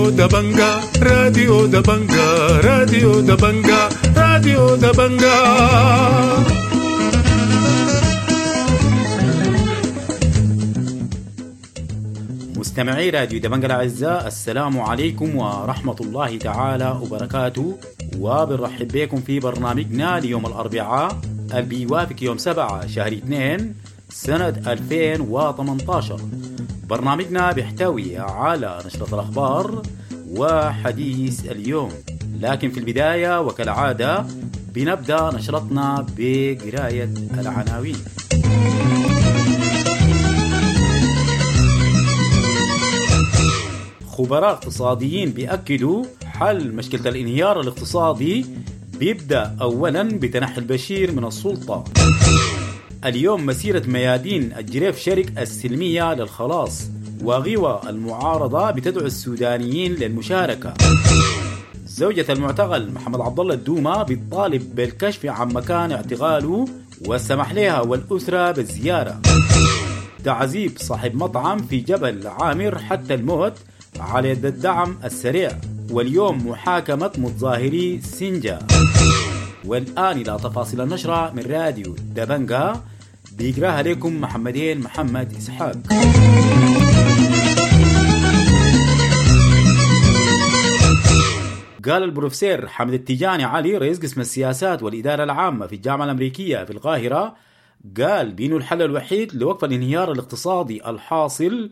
راديو دبنجا، راديو دبنجا، راديو دبنجا، راديو دبنجا. مستمعي راديو دبنجا الأعزاء، السلام عليكم ورحمة الله تعالى وبركاته، وبنرحب بكم في برنامجنا ليوم الأربعاء اللي بيوافق يوم 7 شهر 2 سنة 2018. برنامجنا بيحتوي على نشرة الأخبار وحديث اليوم، لكن في البداية وكالعادة بنبدأ نشرتنا بقراية العناوين. خبراء اقتصاديين بيأكدوا حل مشكلة الانهيار الاقتصادي بيبدأ أولا بتنحي البشير من السلطة. اليوم مسيرة ميادين الجريف شرق السلمية للخلاص، وغوى المعارضة بتدعو السودانيين للمشاركة. زوجة المعتقل محمد عبد الله الدومة بتطالب بالكشف عن مكان اعتقاله والسمح لها والأسرة بالزيارة. تعذيب صاحب مطعم في جبل عامر حتى الموت على يد الدعم السريع. واليوم محاكمة متظاهري سنجا. والآن إلى تفاصيل النشرة من راديو دبنجا، بيقراها لكم محمدين محمد إسحاق. قال البروفيسور حمد التجاني علي رئيس قسم السياسات والإدارة العامة في الجامعة الأمريكية في القاهرة، قال بأنه الحل الوحيد لوقف الانهيار الاقتصادي الحاصل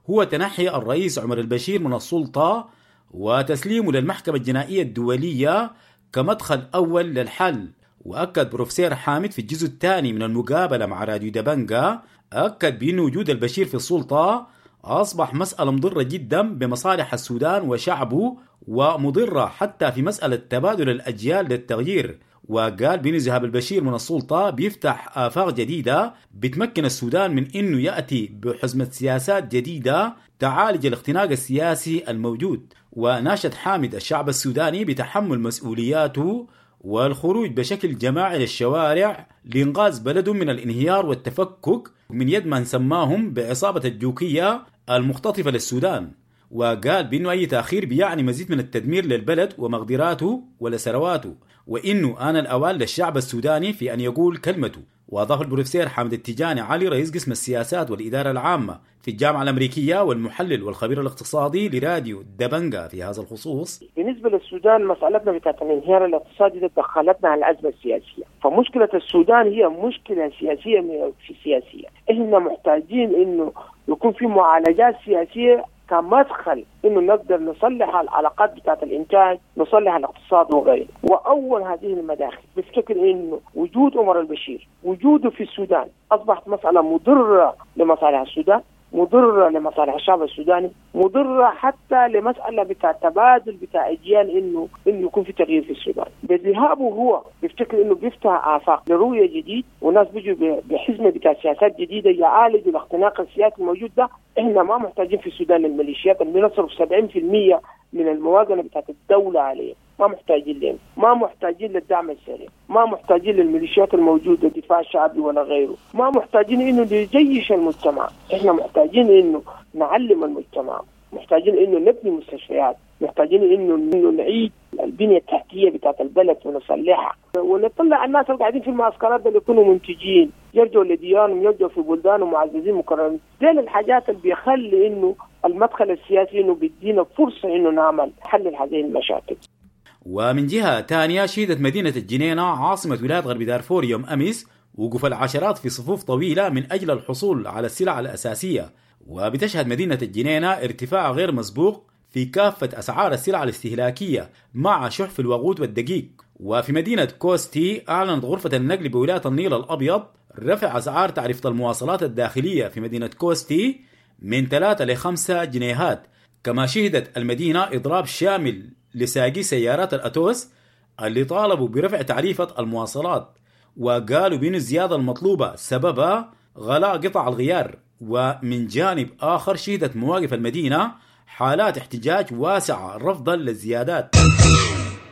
هو تنحي الرئيس عمر البشير من السلطة وتسليمه للمحكمة الجنائية الدولية كمدخل أول للحل. وأكد بروفيسور حامد في الجزء الثاني من المقابلة مع راديو دبنجا، أكد بأن وجود البشير في السلطة أصبح مسألة مضرة جدا بمصالح السودان وشعبه، ومضرة حتى في مسألة تبادل الأجيال للتغيير. وقال بأن ذهاب البشير من السلطة بيفتح آفاق جديدة بتمكن السودان من أنه يأتي بحزمة سياسات جديدة تعالج الاختناق السياسي الموجود. وناشد حامد الشعب السوداني بتحمل مسؤولياته والخروج بشكل جماعي للشوارع لإنقاذ بلده من الانهيار والتفكك من يد من سماهم بعصابة الجوكية المختطفة للسودان. وقال بأنه أي تأخير بيعني مزيد من التدمير للبلد ومقدراته ولثرواته، وإنه آن الأوان للشعب السوداني في أن يقول كلمته. وأضاف البروفيسور حامد التجاني علي رئيس قسم السياسات والإدارة العامة في الجامعة الأمريكية والمحلل والخبير الاقتصادي لراديو دبنجا في هذا الخصوص: بالنسبة للسودان مسألتنا بتاعت الانهيار الاقتصادي ده دخلتنا على الأزمة السياسية، فمشكلة السودان هي مشكلة سياسية في سياسية. إحنا محتاجين إنه يكون في معالجات سياسية كمدخل انه نقدر نصلح العلاقات بتاعت الانتاج، نصلح الاقتصاد وغيره. واول هذه المداخل بفتكر انه وجود عمر البشير، وجوده في السودان اصبحت مساله مضره لمصالح السودان، مضره لمصالح الشعب السوداني، مضره حتى لمساله بتاع تبادل بتاع اجيال انه يكون في تغيير في السودان. بذهابه هو بفتكر انه بيفتح افاق لرؤيه جديد، وناس بيجوا بحزمه بتاع سياسات جديده يعالجوا الاختناق السياسي الموجود ده. احنا ما محتاجين في السودان الميليشيات اللي بنصرف 70% من الموازنه بتاعت الدوله عليه، ما محتاجين لهم، ما محتاجين للدعم السريع، ما محتاجين للميليشيات الموجوده دفاع شعبي ولا غيره، ما محتاجين انه نجيش المجتمع، احنا محتاجين انه نعلم المجتمع، محتاجين انه نبني مستشفيات، محتاجين انه نعيد البنيه التحتيه بتاعت البلد ونصلحها، ونطلع الناس اللي قاعدين في المعسكرات اللي يكونوا منتجين، يرجعوا لديارهم، يرجعوا في بلدانهم معززين مكرمين. دي الحاجات اللي بيخلي انه المدخل السياسي انه بيدينا فرصه انه نعمل حل هذه المشاكل. ومن جهة ثانية، شهدت مدينة الجنينة عاصمة ولاية غرب دارفور يوم أمس وقوف العشرات في صفوف طويلة من أجل الحصول على السلع الأساسية. وبتشهد مدينة الجنينة ارتفاع غير مسبوق في كافة أسعار السلع الاستهلاكية مع شح في الوقود والدقيق. وفي مدينة كوستي أعلنت غرفة النقل بولاية النيل الأبيض رفع أسعار تعرفة المواصلات الداخلية في مدينة كوستي من 3 ل 5 جنيهات. كما شهدت المدينة إضراب شامل لساقي سيارات الأتوس اللي طالبوا برفع تعريفة المواصلات، وقالوا بأن الزيادة المطلوبة سببها غلاء قطع الغيار. ومن جانب آخر شهدت مواقف المدينة حالات احتجاج واسعة رفضا للزيادات.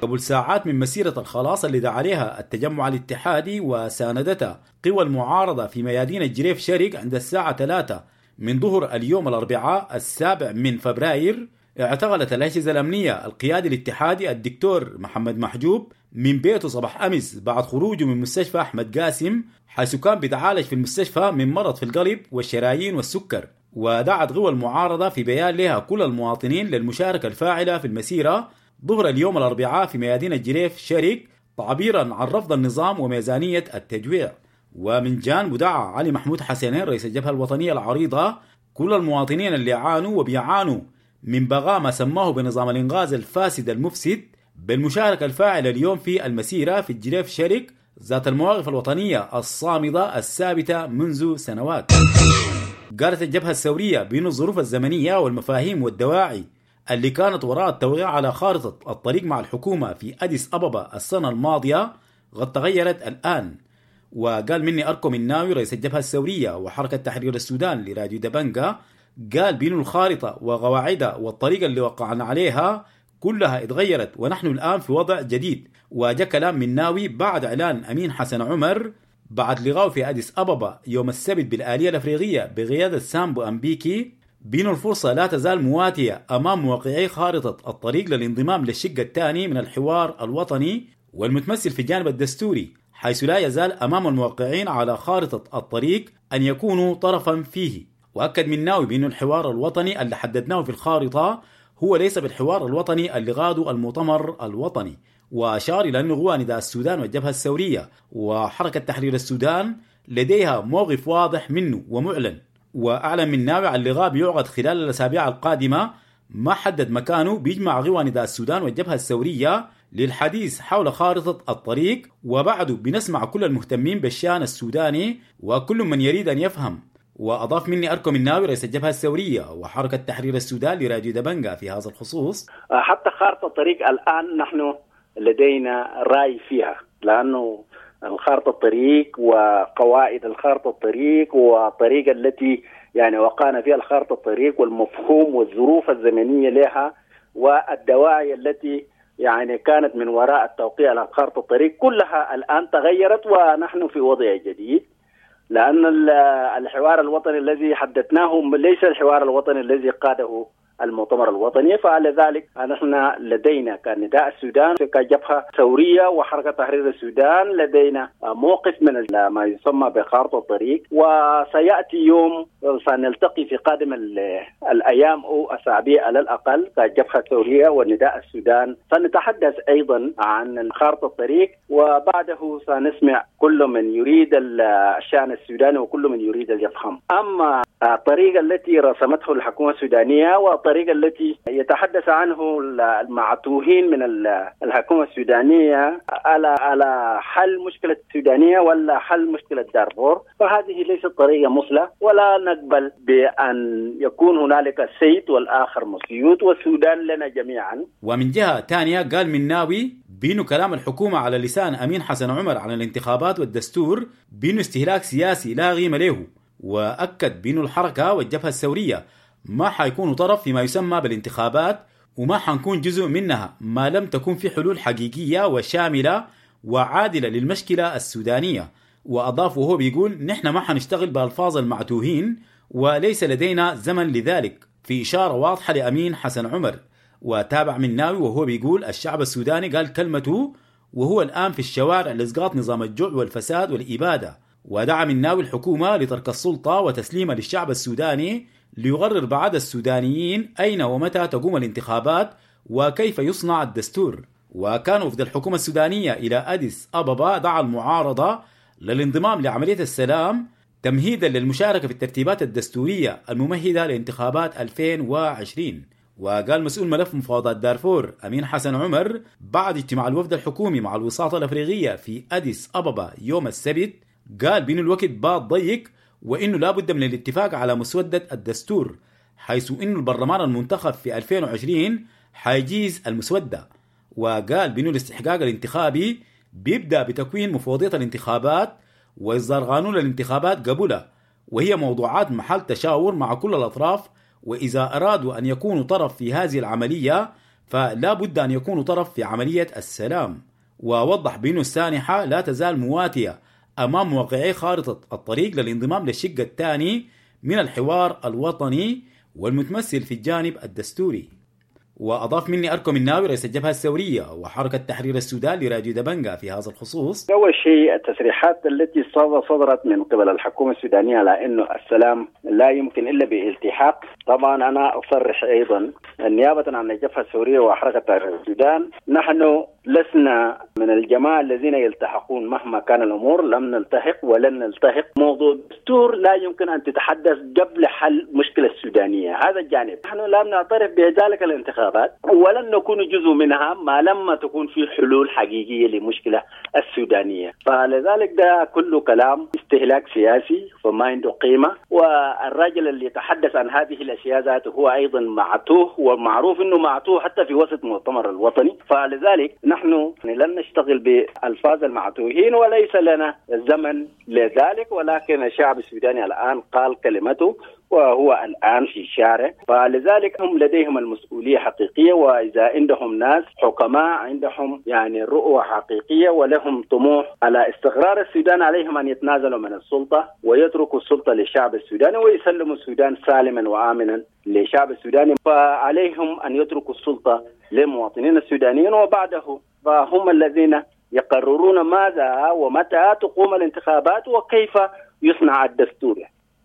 قبل ساعات من مسيرة الخلاص اللي دعا عليها التجمع الاتحادي وساندتها قوى المعارضة في ميادين الجريف شرق عند الساعة 3 من ظهر اليوم الأربعاء 7 من فبراير، اعتقلت الأجهزة الأمنية القيادي الاتحادي الدكتور محمد محجوب من بيته صباح أمس بعد خروجه من مستشفى أحمد قاسم، حيث كان بيتعالج في المستشفى من مرض في القلب والشرايين والسكر. ودعت قوى المعارضة في بيان لها كل المواطنين للمشاركة الفاعلة في المسيرة ظهر اليوم الأربعاء في ميادين الجريف شرق، تعبيرا عن رفض النظام وميزانية التجويع. ومن جانبه دعا علي محمود حسنين رئيس الجبهة الوطنية العريضة كل المواطنين اللي عانوا وبيعانوا من بغاء ما سماه بنظام الإنغاز الفاسد المفسد بالمشاركة الفاعلة اليوم في المسيرة في الجريف شرق ذات المواقف الوطنية الصامدة الثابتة منذ سنوات. قالت الجبهة الثورية بأن الظروف الزمنية والمفاهيم والدواعي اللي كانت وراء التوقيع على خارطة الطريق مع الحكومة في أديس أبابا السنة الماضية قد تغيرت الآن. وقال مني أركو مناوي رئيس الجبهة الثورية وحركة تحرير السودان لراديو دبنجا، قال بأن الخارطة وقواعدها والطريقة اللي وقعنا عليها كلها اتغيرت ونحن الآن في وضع جديد. وجاء كلام مناوي بعد إعلان أمين حسن عمر بعد لقائه في أديس أبابا يوم السبت بالآلية الأفريقية بقيادة سامبو أمبيكي بأن الفرصة لا تزال مواتية أمام موقعي خارطة الطريق للانضمام للشق الثاني من الحوار الوطني والمتمثل في الجانب الدستوري، حيث لا يزال أمام الموقعين على خارطة الطريق أن يكونوا طرفا فيه. وأكد مناوي بأن الحوار الوطني اللي حددناه في الخارطة هو ليس بالحوار الوطني اللي غاده المؤتمر الوطني. وأشار إلى أن قوى نداء السودان والجبهة الثورية وحركة تحرير السودان لديها موقف واضح منه ومعلن. وأعلن مناوي عن لقاء بيعقد خلال الأسابيع القادمة ما حدد مكانه بيجمع قوى نداء السودان والجبهة الثورية للحديث حول خارطة الطريق، وبعده بنسمع كل المهتمين بالشأن السوداني وكل من يريد أن يفهم. وأضاف مني أركو مناوي رئيس الجبهة الثورية وحركة تحرير السودان لراديو دبنجا في هذا الخصوص: حتى خارطة الطريق الآن نحن لدينا رأي فيها، لأنه الخارطة الطريق وقواعد الخارطة الطريق والطريقة التي يعني وقعنا فيها الخارطة الطريق والمفهوم والظروف الزمنية لها والدواعي التي يعني كانت من وراء التوقيع على خارطة الطريق كلها الآن تغيرت، ونحن في وضع جديد، لأن الحوار الوطني الذي حددناه ليس الحوار الوطني الذي قاده المؤتمر الوطني. فلذلك نحن لدينا كنداء السودان كجبهة ثورية وحركة تحرير السودان لدينا موقف من ما يسمى بخارطة الطريق، وسيأتي يوم سنلتقي في قادم الأيام أو أسابيع على الأقل كجبهة ثورية ونداء السودان، سنتحدث أيضا عن خارطة الطريق، وبعده سنسمع كل من يريد الشأن السوداني وكل من يريد أن يفهم. أما الطريقة التي رسمته الحكومة السودانية والطريقة التي يتحدث عنه المعتوهين من الحكومة السودانية على حل مشكلة السودانية ولا حل مشكلة دارفور، فهذه ليست طريقة مثلى، ولا نقبل بأن يكون هنالك سيد والآخر مسيوط، والسودان لنا جميعا. ومن جهة ثانية قال مناوي بينه كلام الحكومة على لسان أمين حسن عمر عن الانتخابات والدستور بينه استهلاك سياسي لا قيمة له، وأكد بأن الحركة والجبهة الثورية ما حيكونوا طرف فيما يسمى بالانتخابات وما حنكون جزء منها ما لم تكون في حلول حقيقية وشاملة وعادلة للمشكلة السودانية. وأضاف وهو بيقول: نحن ما حنشتغل بألفاظ المعتوهين وليس لدينا زمن لذلك، في إشارة واضحة لأمين حسن عمر. وتابع مناوي وهو بيقول: الشعب السوداني قال كلمته وهو الآن في الشوارع لإسقاط نظام الجوع والفساد والإبادة. ودعا مناوي الحكومة لترك السلطة وتسليمها للشعب السوداني ليقرر بعد السودانيين أين ومتى تقوم الانتخابات وكيف يصنع الدستور. وكان وفد الحكومة السودانية إلى أديس أبابا دعا المعارضة للانضمام لعملية السلام تمهيدا للمشاركة في الترتيبات الدستورية الممهدة لانتخابات 2020. وقال مسؤول ملف مفاوضات دارفور أمين حسن عمر بعد اجتماع الوفد الحكومي مع الوساطة الأفريقية في أديس أبابا يوم السبت، قال بأن الوقت بات ضيق وإنه لا بد من الاتفاق على مسودة الدستور، حيث إنه البرلمان المنتخب في 2020 حيجيز المسودة. وقال بأنه الاستحقاق الانتخابي بيبدأ بتكوين مفوضية الانتخابات وإصدار قانون الانتخابات قبلها، وهي موضوعات محل تشاور مع كل الأطراف، وإذا أرادوا أن يكونوا طرف في هذه العملية فلا بد أن يكونوا طرف في عملية السلام. ووضح بأنه السانحة لا تزال مواتية أمام موقعي خارطة الطريق للانضمام للشق الثاني من الحوار الوطني والمتمثل في الجانب الدستوري. وأضاف مني أركو مناوي رئيس الجبهة الثورية وحركة تحرير السودان لراديو دبنجا في هذا الخصوص: أول شيء التصريحات التي صدرت من قبل الحكومة السودانية على أنه السلام لا يمكن إلا بالتحاق، طبعا أنا أصرح أيضا نيابة عن الجبهة الثورية وحركة تحرير السودان، نحن لسنا من الجماعة الذين يلتحقون مهما كان الأمور، لم نلتحق ولن نلتحق. موضوع الدستور لا يمكن أن تتحدث قبل حل مشكلة السودانية، هذا الجانب نحن لم نعترف بذلك الانتخابات ولن نكون جزء منها ما لما تكون في حلول حقيقية لمشكلة السودانية. فلذلك ده كله كلام استهلاك سياسي فما عنده قيمة، والراجل اللي يتحدث عن هذه الأشياء ذاته هو أيضا معتوه، ومعروف أنه معتوه حتى في وسط المؤتمر الوطني. فلذلك نحن لن نشتغل بألفاظ المعتوهين وليس لنا زمن لذلك، ولكن الشعب السوداني الآن قال كلمته وهو الآن في الشارع، فلذلك هم لديهم المسؤولية حقيقية، وإذا عندهم ناس حكماء عندهم يعني رؤية حقيقية ولهم طموح على استقرار السودان، عليهم أن يتنازلوا من السلطة ويتركوا السلطة للشعب السوداني ويسلموا السودان سالما وآمنا للشعب السوداني. فعليهم أن يتركوا السلطة للمواطنين السودانيين، وبعده فهم الذين يقررون ماذا ومتى تقوم الانتخابات وكيف يصنع الدستور.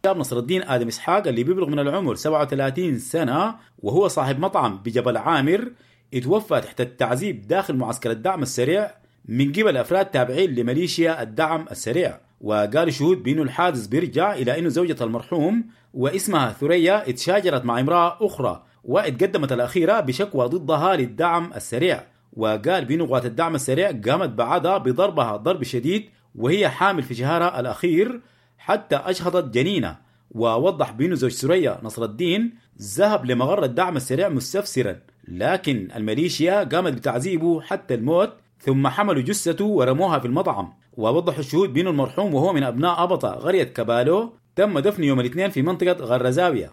نصر الدين آدم إسحاق اللي بيبلغ من العمر 37 سنة وهو صاحب مطعم بجبل عامر، اتوفى تحت التعذيب داخل معسكر الدعم السريع من قبل أفراد تابعين لميليشيا الدعم السريع. وقال شهود بأنه الحادث بيرجع إلى أنه زوجة المرحوم واسمها ثريا اتشاجرت مع امرأة أخرى واتقدمت الأخيرة بشكوى ضدها للدعم السريع. وقال بأنه قوات الدعم السريع قامت بعدها بضربها ضرب شديد وهي حامل في شهرها الأخير حتى أجهضت جنينة. ووضح بأنه زوج ثريا نصر الدين ذهب لمغر الدعم السريع مستفسرا، لكن الميليشيا قامت بتعذيبه حتى الموت، ثم حملوا جثته ورموها في المطعم. ووضح الشهود بأنه المرحوم وهو من أبناء أبطا قرية كبالو تم دفنه يوم الاثنين في منطقة غرزاوية.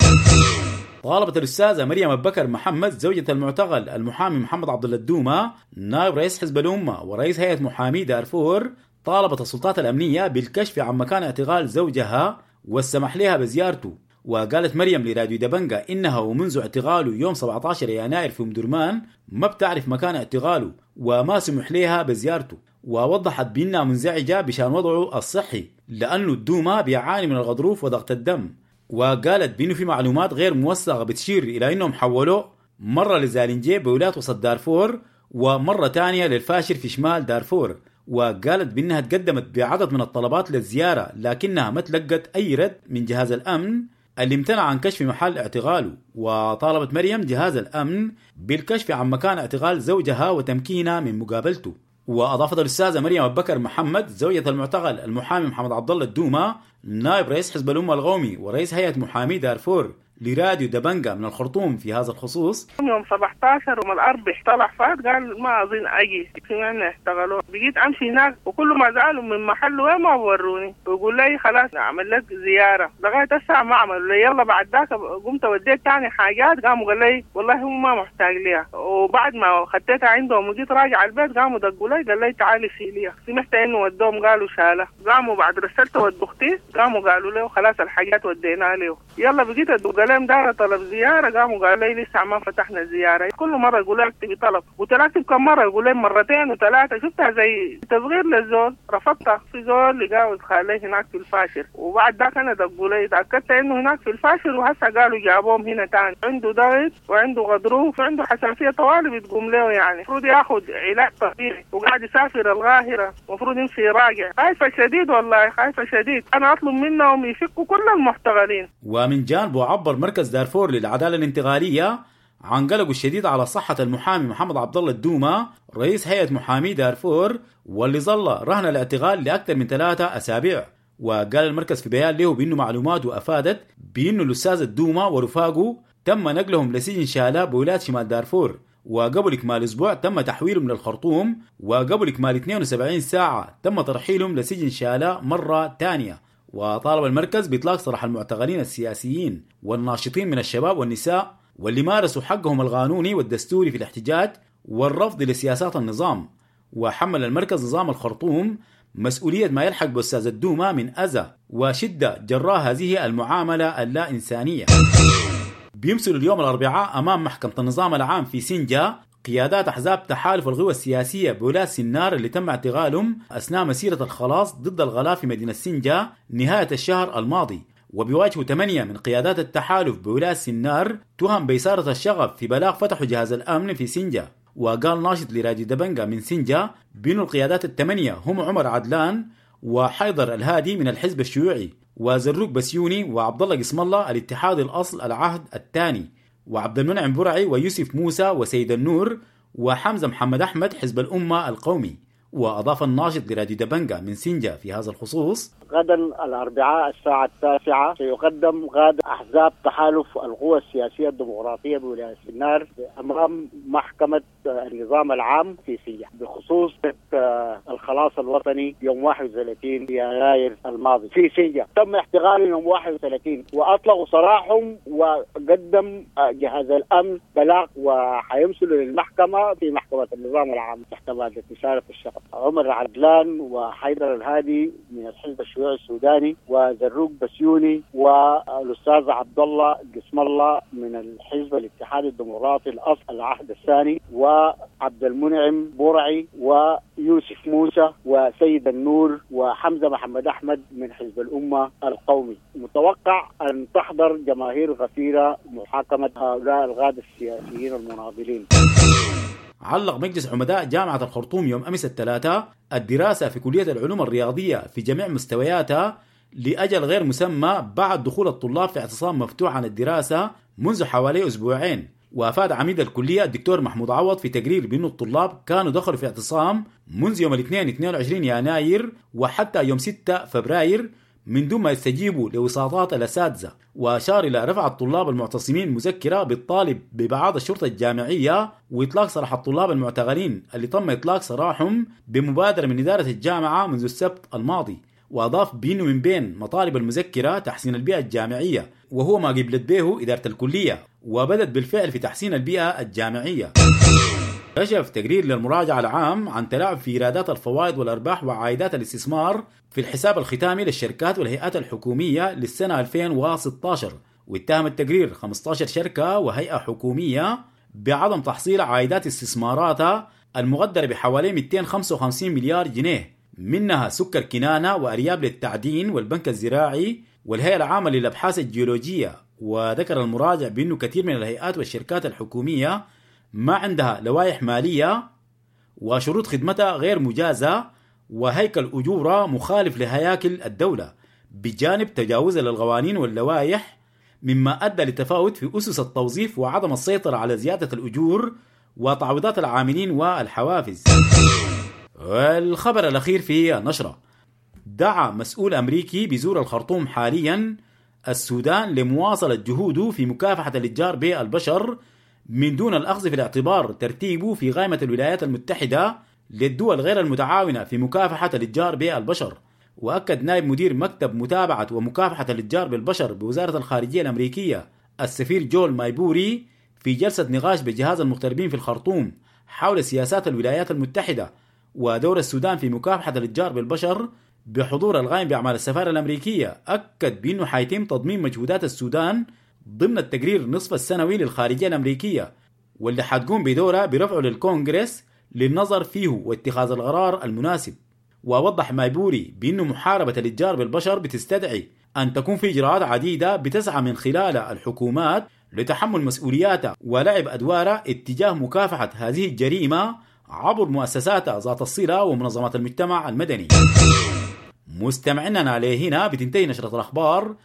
طالبت الأستاذة مريم أبو بكر محمد زوجة المعتقل المحامي محمد عبد الله الدومة نائب رئيس حزب الأمة ورئيس هيئة محامي دارفور، طالبت السلطات الأمنية بالكشف عن مكان اعتقال زوجها والسمح لها بزيارته. وقالت مريم لراديو دبنجا إنها ومنذ اعتقاله يوم 17 يناير في أم درمان ما بتعرف مكان اعتقاله وما سمح لها بزيارته. ووضحت بأنها منزعجة بشان وضعه الصحي لأنه الدومة بيعاني من الغضروف وضغط الدم. وقالت بأنه في معلومات غير موثقة بتشير إلى أنهم حولوه مرة لزالنجي بولاية وسط دارفور ومرة تانية للفاشر في شمال دارفور. وقالت بأنها تقدمت بعدد من الطلبات للزيارة لكنها ما تلقت أي رد من جهاز الأمن اللي امتنع عن كشف محل اعتقاله. وطالبت مريم جهاز الأمن بالكشف عن مكان اعتقال زوجها وتمكينها من مقابلته. وأضافت الأستاذة مريم أبو بكر محمد زوجة المعتقل المحامي محمد عبد الله الدومة نائب رئيس حزب الأمة القومي ورئيس هيئة محامي دارفور لراديو دبنجا من الخرطوم في هذا الخصوص: يوم 17 يوم الأربع طلع فات قال ما أظن أجي، سمعنا اعتقلوه. بقيت أمشي هناك وكل ما زعلوا من محله ما وروني ويقول لي خلاص أعمل لك زيارة، لغاية الساعة ما عملوا لي. يلا بعد ذاك قمت وديت تاني حاجات، قاموا قال لي والله هم ما محتاج ليها. وبعد ما خدتها عندهم وجيت راجع البيت قاموا دقوا لي قال لي تعالي شيليها. سمعت إنه ودوهم قالوا شالة، قاموا بعد رسلت ود أختي قاموا قالوا له خلاص الحاجات وديناها له. يلا بقيت أدق لهم دار طلب زيارة، قاموا قالوا لي لسه ما فتحنا الزيارة. كل مرة يقولوا لي اكتبي طلب، قلت لها اكتب كم مرة، يقول لي مرتين وثلاثة. شفتها زي تصغير للزول، رفضتها. في زول لقاه خالي هناك في الفاشر، وبعد ذاك انا دقوا لي تأكدت انه هناك في الفاشر، وهسه قالوا جابوهم هنا تاني. عنده ضغط وعنده غضروف وعنده حساسية طوالي بتقوم له، يعني المفروض ياخذ علاج طبيعي وقاعد يسافر القاهرة، المفروض يمشي يراجع. خايفة شديد والله، خايفة شديد. انا اطلب منهم يفكوا كل المحتغلين. ومن جانبه عبر مركز دارفور للعدالة الانتقالية عن قلقه الشديد على صحة المحامي محمد عبد الله الدومة رئيس هيئة محامي دارفور واللي ظل رهن الاعتقال لأكثر من 3 أسابيع. وقال المركز في بيان له بأنه معلوماته أفادت بأنه الأستاذ الدومة ورفاقه تم نقلهم لسجن شالة بولاية شمال دارفور، وقبل إكمال أسبوع تم تحويلهم للخرطوم، وقبل إكمال 72 ساعة تم ترحيلهم لسجن شالة مرة ثانية. وطالب المركز بإطلاق سراح المعتقلين السياسيين والناشطين من الشباب والنساء واللي مارسوا حقهم القانوني والدستوري في الاحتجاج والرفض لسياسات النظام. وحمل المركز نظام الخرطوم مسؤولية ما يلحق بأستاذ الدومة من أذى وشدة جراء هذه المعاملة اللا إنسانية. بيمثلوا اليوم الأربعاء أمام محكمة النظام العام في سنجا قيادات أحزاب تحالف القوى السياسية بولاية سنار اللي تم اعتقالهم أثناء مسيرة الخلاص ضد الغلاء في مدينة سنجا نهاية الشهر الماضي. وبيواجهوا 8 من قيادات التحالف بولاية سنار تهم بإثارة الشغب في بلاغ فتحوا جهاز الأمن في سنجا. وقال ناشط لراديو دبنجا من سنجا بأن القيادات الثمانية هم عمر عدلان وحيدر الهادي من الحزب الشيوعي وزروق بسيوني وعبد الله قسم الله الاتحاد الأصل العهد الثاني وعبد المنعم برعي ويوسف موسى وسيد النور وحمزة محمد أحمد حزب الأمة القومي. وأضاف الناشط لراديو دبنجا من سنجا في هذا الخصوص: غدا الأربعاء الساعة 9 سيقدم غدا أحزاب تحالف القوى السياسية الديمقراطية بولاية سنار أمام محكمة النظام العام في سنجا بخصوص الخلاص الوطني يوم 31 يناير الماضي في سنجا. تم اعتقالهم يوم 31 وأطلقوا سراحهم، وقدم جهاز الأمن بلاغ وحيمثلوا للمحكمة في محكمة النظام العام تحت مادة إثارة الشغب. عمر عدلان وحيدر الهادي من الحزب الشيوعي السوداني وزروق بسيوني والأستاذ عبد الله قسم الله من الحزب الاتحادي الديمقراطي الأصل العهد الثاني وعبد المنعم برعي ويوسف موسى وسيد النور وحمزة محمد أحمد من حزب الأمة القومي. متوقع أن تحضر جماهير غفيرة محاكمة هؤلاء القادة السياسيين المناضلين. علق مجلس عمداء جامعة الخرطوم يوم أمس الثلاثاء الدراسة في كلية العلوم الرياضية في جميع مستوياتها لأجل غير مسمى بعد دخول الطلاب في اعتصام مفتوح عن الدراسة منذ حوالي أسبوعين. وأفاد عميد الكلية الدكتور محمود عوض في تقرير بأن الطلاب كانوا دخلوا في اعتصام منذ يوم الاثنين 22 يناير وحتى يوم 6 فبراير من دون ما يستجيبوا لوساطات الأساتذة. وأشار إلى رفع الطلاب المعتصمين مذكرة بالطالب ببعض الشرطة الجامعية وإطلاق سراح الطلاب المعتقلين اللي تم إطلاق سراحهم بمبادرة من إدارة الجامعة منذ السبت الماضي. وأضاف بأنه من بين مطالب المذكرة تحسين البيئة الجامعية، وهو ما قبلت به إدارة الكلية وبدت بالفعل في تحسين البيئة الجامعية. كشف تقرير للمراجعة العام عن تلاعب في إيرادات الفوائد والأرباح وعائدات الاستثمار في الحساب الختامي للشركات والهيئات الحكومية للسنة 2016. واتهم التقرير 15 شركة وهيئة حكومية بعدم تحصيل عائدات استثماراتها المقدرة بحوالي 255 مليار جنيه، منها سكر كنانة وأرياب للتعدين والبنك الزراعي والهيئة العامة للأبحاث الجيولوجية. وذكر المراجع بأنه كثير من الهيئات والشركات الحكومية ما عندها لوائح مالية وشروط خدمتها غير مجازة وهيكل أجورها مخالف لهياكل الدولة، بجانب تجاوزها للقوانين واللوائح، مما أدى لتفاوت في أسس التوظيف وعدم السيطرة على زيادة الأجور وتعويضات العاملين والحوافز. والخبر الأخير في النشرة: دعا مسؤول أمريكي بزور الخرطوم حاليا السودان لمواصلة جهوده في مكافحة الاتجار بالبشر من دون الأخذ في الاعتبار ترتيبه في قائمة الولايات المتحدة للدول غير المتعاونة في مكافحة الاتجار بالبشر. وأكد نائب مدير مكتب متابعة ومكافحة الاتجار بالبشر بوزارة الخارجية الأمريكية السفير جول مايبوري في جلسة نقاش بجهاز المغتربين في الخرطوم حول سياسات الولايات المتحدة ودور السودان في مكافحة الاتجار بالبشر بحضور القائم بأعمال السفارة الأمريكية، أكد بأنه حيتم تضمين مجهودات السودان ضمن التقرير نصف السنوي للخارجية الأمريكية، واللي حتقوم بدورها برفعه للكونغرس للنظر فيه واتخاذ القرار المناسب. ووضح مايبوري بأنه محاربة الاتجار بالبشر بتستدعي أن تكون في إجراءات عديدة بتسعى من خلالها الحكومات لتحمل مسؤولياتها ولعب أدوارها اتجاه مكافحة هذه الجريمة عبر مؤسساتها ذات الصلة ومنظمات المجتمع المدني. مستمعينا عليه هنا بتنتهي نشرة الأخبار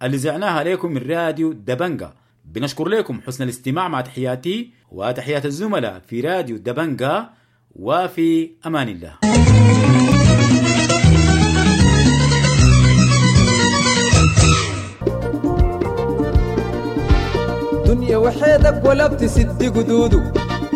اللي زعناها لكم من راديو دبنجا. بنشكر لكم حسن الاستماع، مع تحياتي وتحيات الزملاء في راديو دبنجا، وفي أمان الله. دنيا وحيدك ولا بتسد قدوده،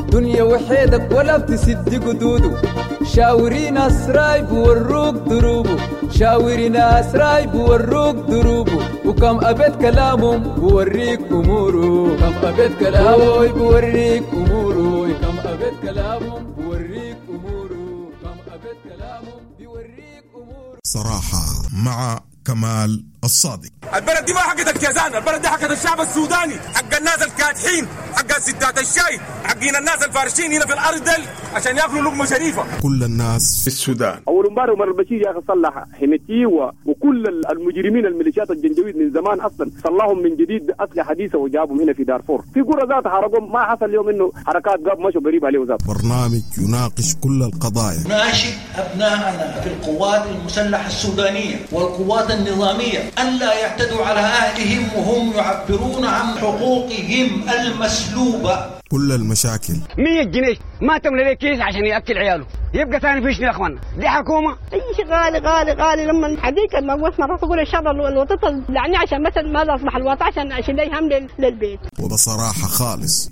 دنيا وحيدك ولا بتسد قدوده، شاوري ناس رايب وروك دروبه، شاوري ناس رايب وروك دروبه، وكم أبيت كلامهم بوريك أموره، كم أبيت كلامه بوريك أموره، كم أبيت كلامهم بوريك أموره، كم أبيت كلامهم بوريك أموره. صراحة مع كمال الصادق. البلد دي ما حقت الكيزان، البلد دي حقت الشعب السوداني، حق الناس الكادحين، حق ستات الشاي، حقين الناس الفارشين هنا في الارض دل عشان ياكلوا لقمه شريفه. كل الناس في السودان. اول امبارح عمر البشير يا اخي صلح حميتي وكل المجرمين الميليشيات الجنجويد من زمان اصلا صلحهم من جديد باسلحه حديثه وجابهم هنا في دارفور، في قرى ذات حرقهم، ما حصل اليوم انه حركات قاب مشوا قريب عليه ذات. برنامج يناقش كل القضايا. ناشد ابنائنا في القوات المسلحه السودانيه والقوات النظاميه الا يعتدوا على اهلهم وهم يعبرون عن حقوقهم المسلوبه. كل المشاكل. 100 جنيه ما تملى ليه كيس عشان ياكل عياله، يبقى ثاني فيش يا اخوانا، دي حكومه. اي شيء غالي غالي غالي، لما حديك ما قلت مرات اقول ان شاء الله الوطن لعني عشان مثلا ما اصبح الوطن عشان اشيل لي هم للبيت. وبصراحه خالص.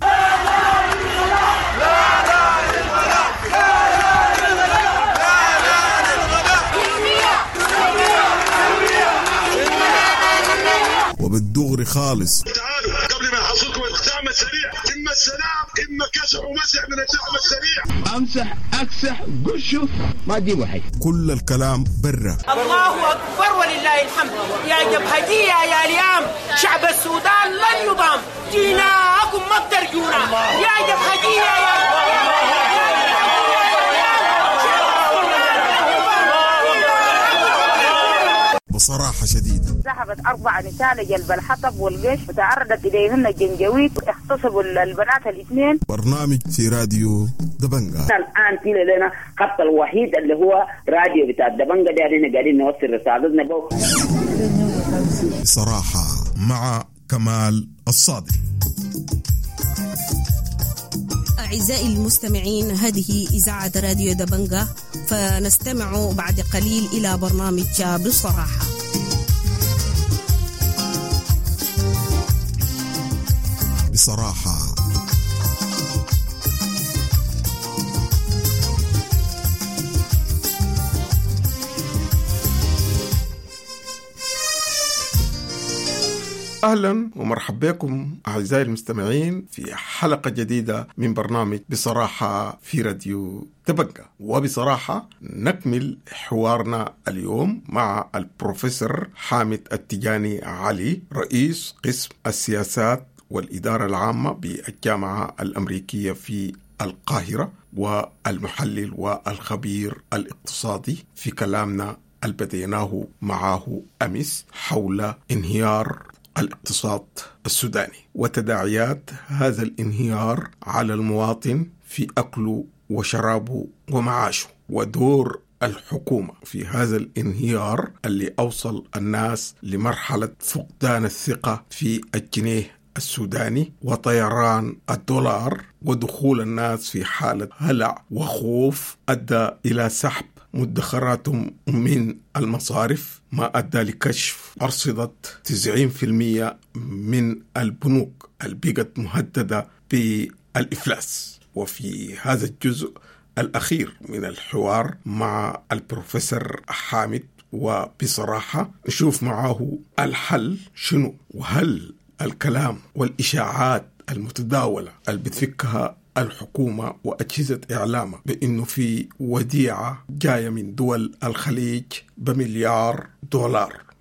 وبالدغري خالص. تعالوا قبل ما يحصلكم الدعم السريع، اما السلام اما كسح ومسح من الدعم السريع. امسح اكسح قشه ما تجيبوا حي. كل الكلام برا. الله اكبر ولله الحمد. يا جبهجيه يا ليام، شعب السودان لن يضام، جيناكم ما بترجونا يا جبهجيه يا بصراحة شديدة. ذهبت 4 نساء لجلب الحطب والقش وتعرضت إليهن الجنجويد، اغتصبوا البنات الاثنين. برنامج في راديو دبنجا. الآن في لنا خط الوحيد اللي هو راديو بتاع دبنجا ده، احنا قاعدين نوصل رسالتنا بو. بصراحة مع كمال الصادق. أعزائي المستمعين، هذه إذاعة راديو دبنجا، فنستمع بعد قليل إلى برنامج بصراحة. بصراحة أهلا ومرحبا بكم أعزائي المستمعين في حلقة جديدة من برنامج بصراحة في راديو دبنجا. وبصراحة نكمل حوارنا اليوم مع البروفيسور حامد التجاني علي، رئيس قسم السياسات والإدارة العامة بالجامعة الأمريكية في القاهرة، والمحلل والخبير الاقتصادي، في كلامنا اللي بديناه معه أمس حول انهيار الاقتصاد السوداني وتداعيات هذا الانهيار على المواطن في أكله وشرابه ومعاشه، ودور الحكومة في هذا الانهيار اللي أوصل الناس لمرحلة فقدان الثقة في الجنيه السوداني وطيران الدولار، ودخول الناس في حالة هلع وخوف أدى إلى سحب مدخراتهم من المصارف، ما أدى لكشف أرصدة 90% من البنوك اللي بقت مهددة بالإفلاس. وفي هذا الجزء الأخير من الحوار مع البروفيسور حامد وبصراحة نشوف معه الحل شنو، وهل الكلام والإشاعات المتداولة اللي بتفكها الحكومة وأجهزة إعلامها بأنه في وديعة جاية من دول الخليج ب$1 مليار،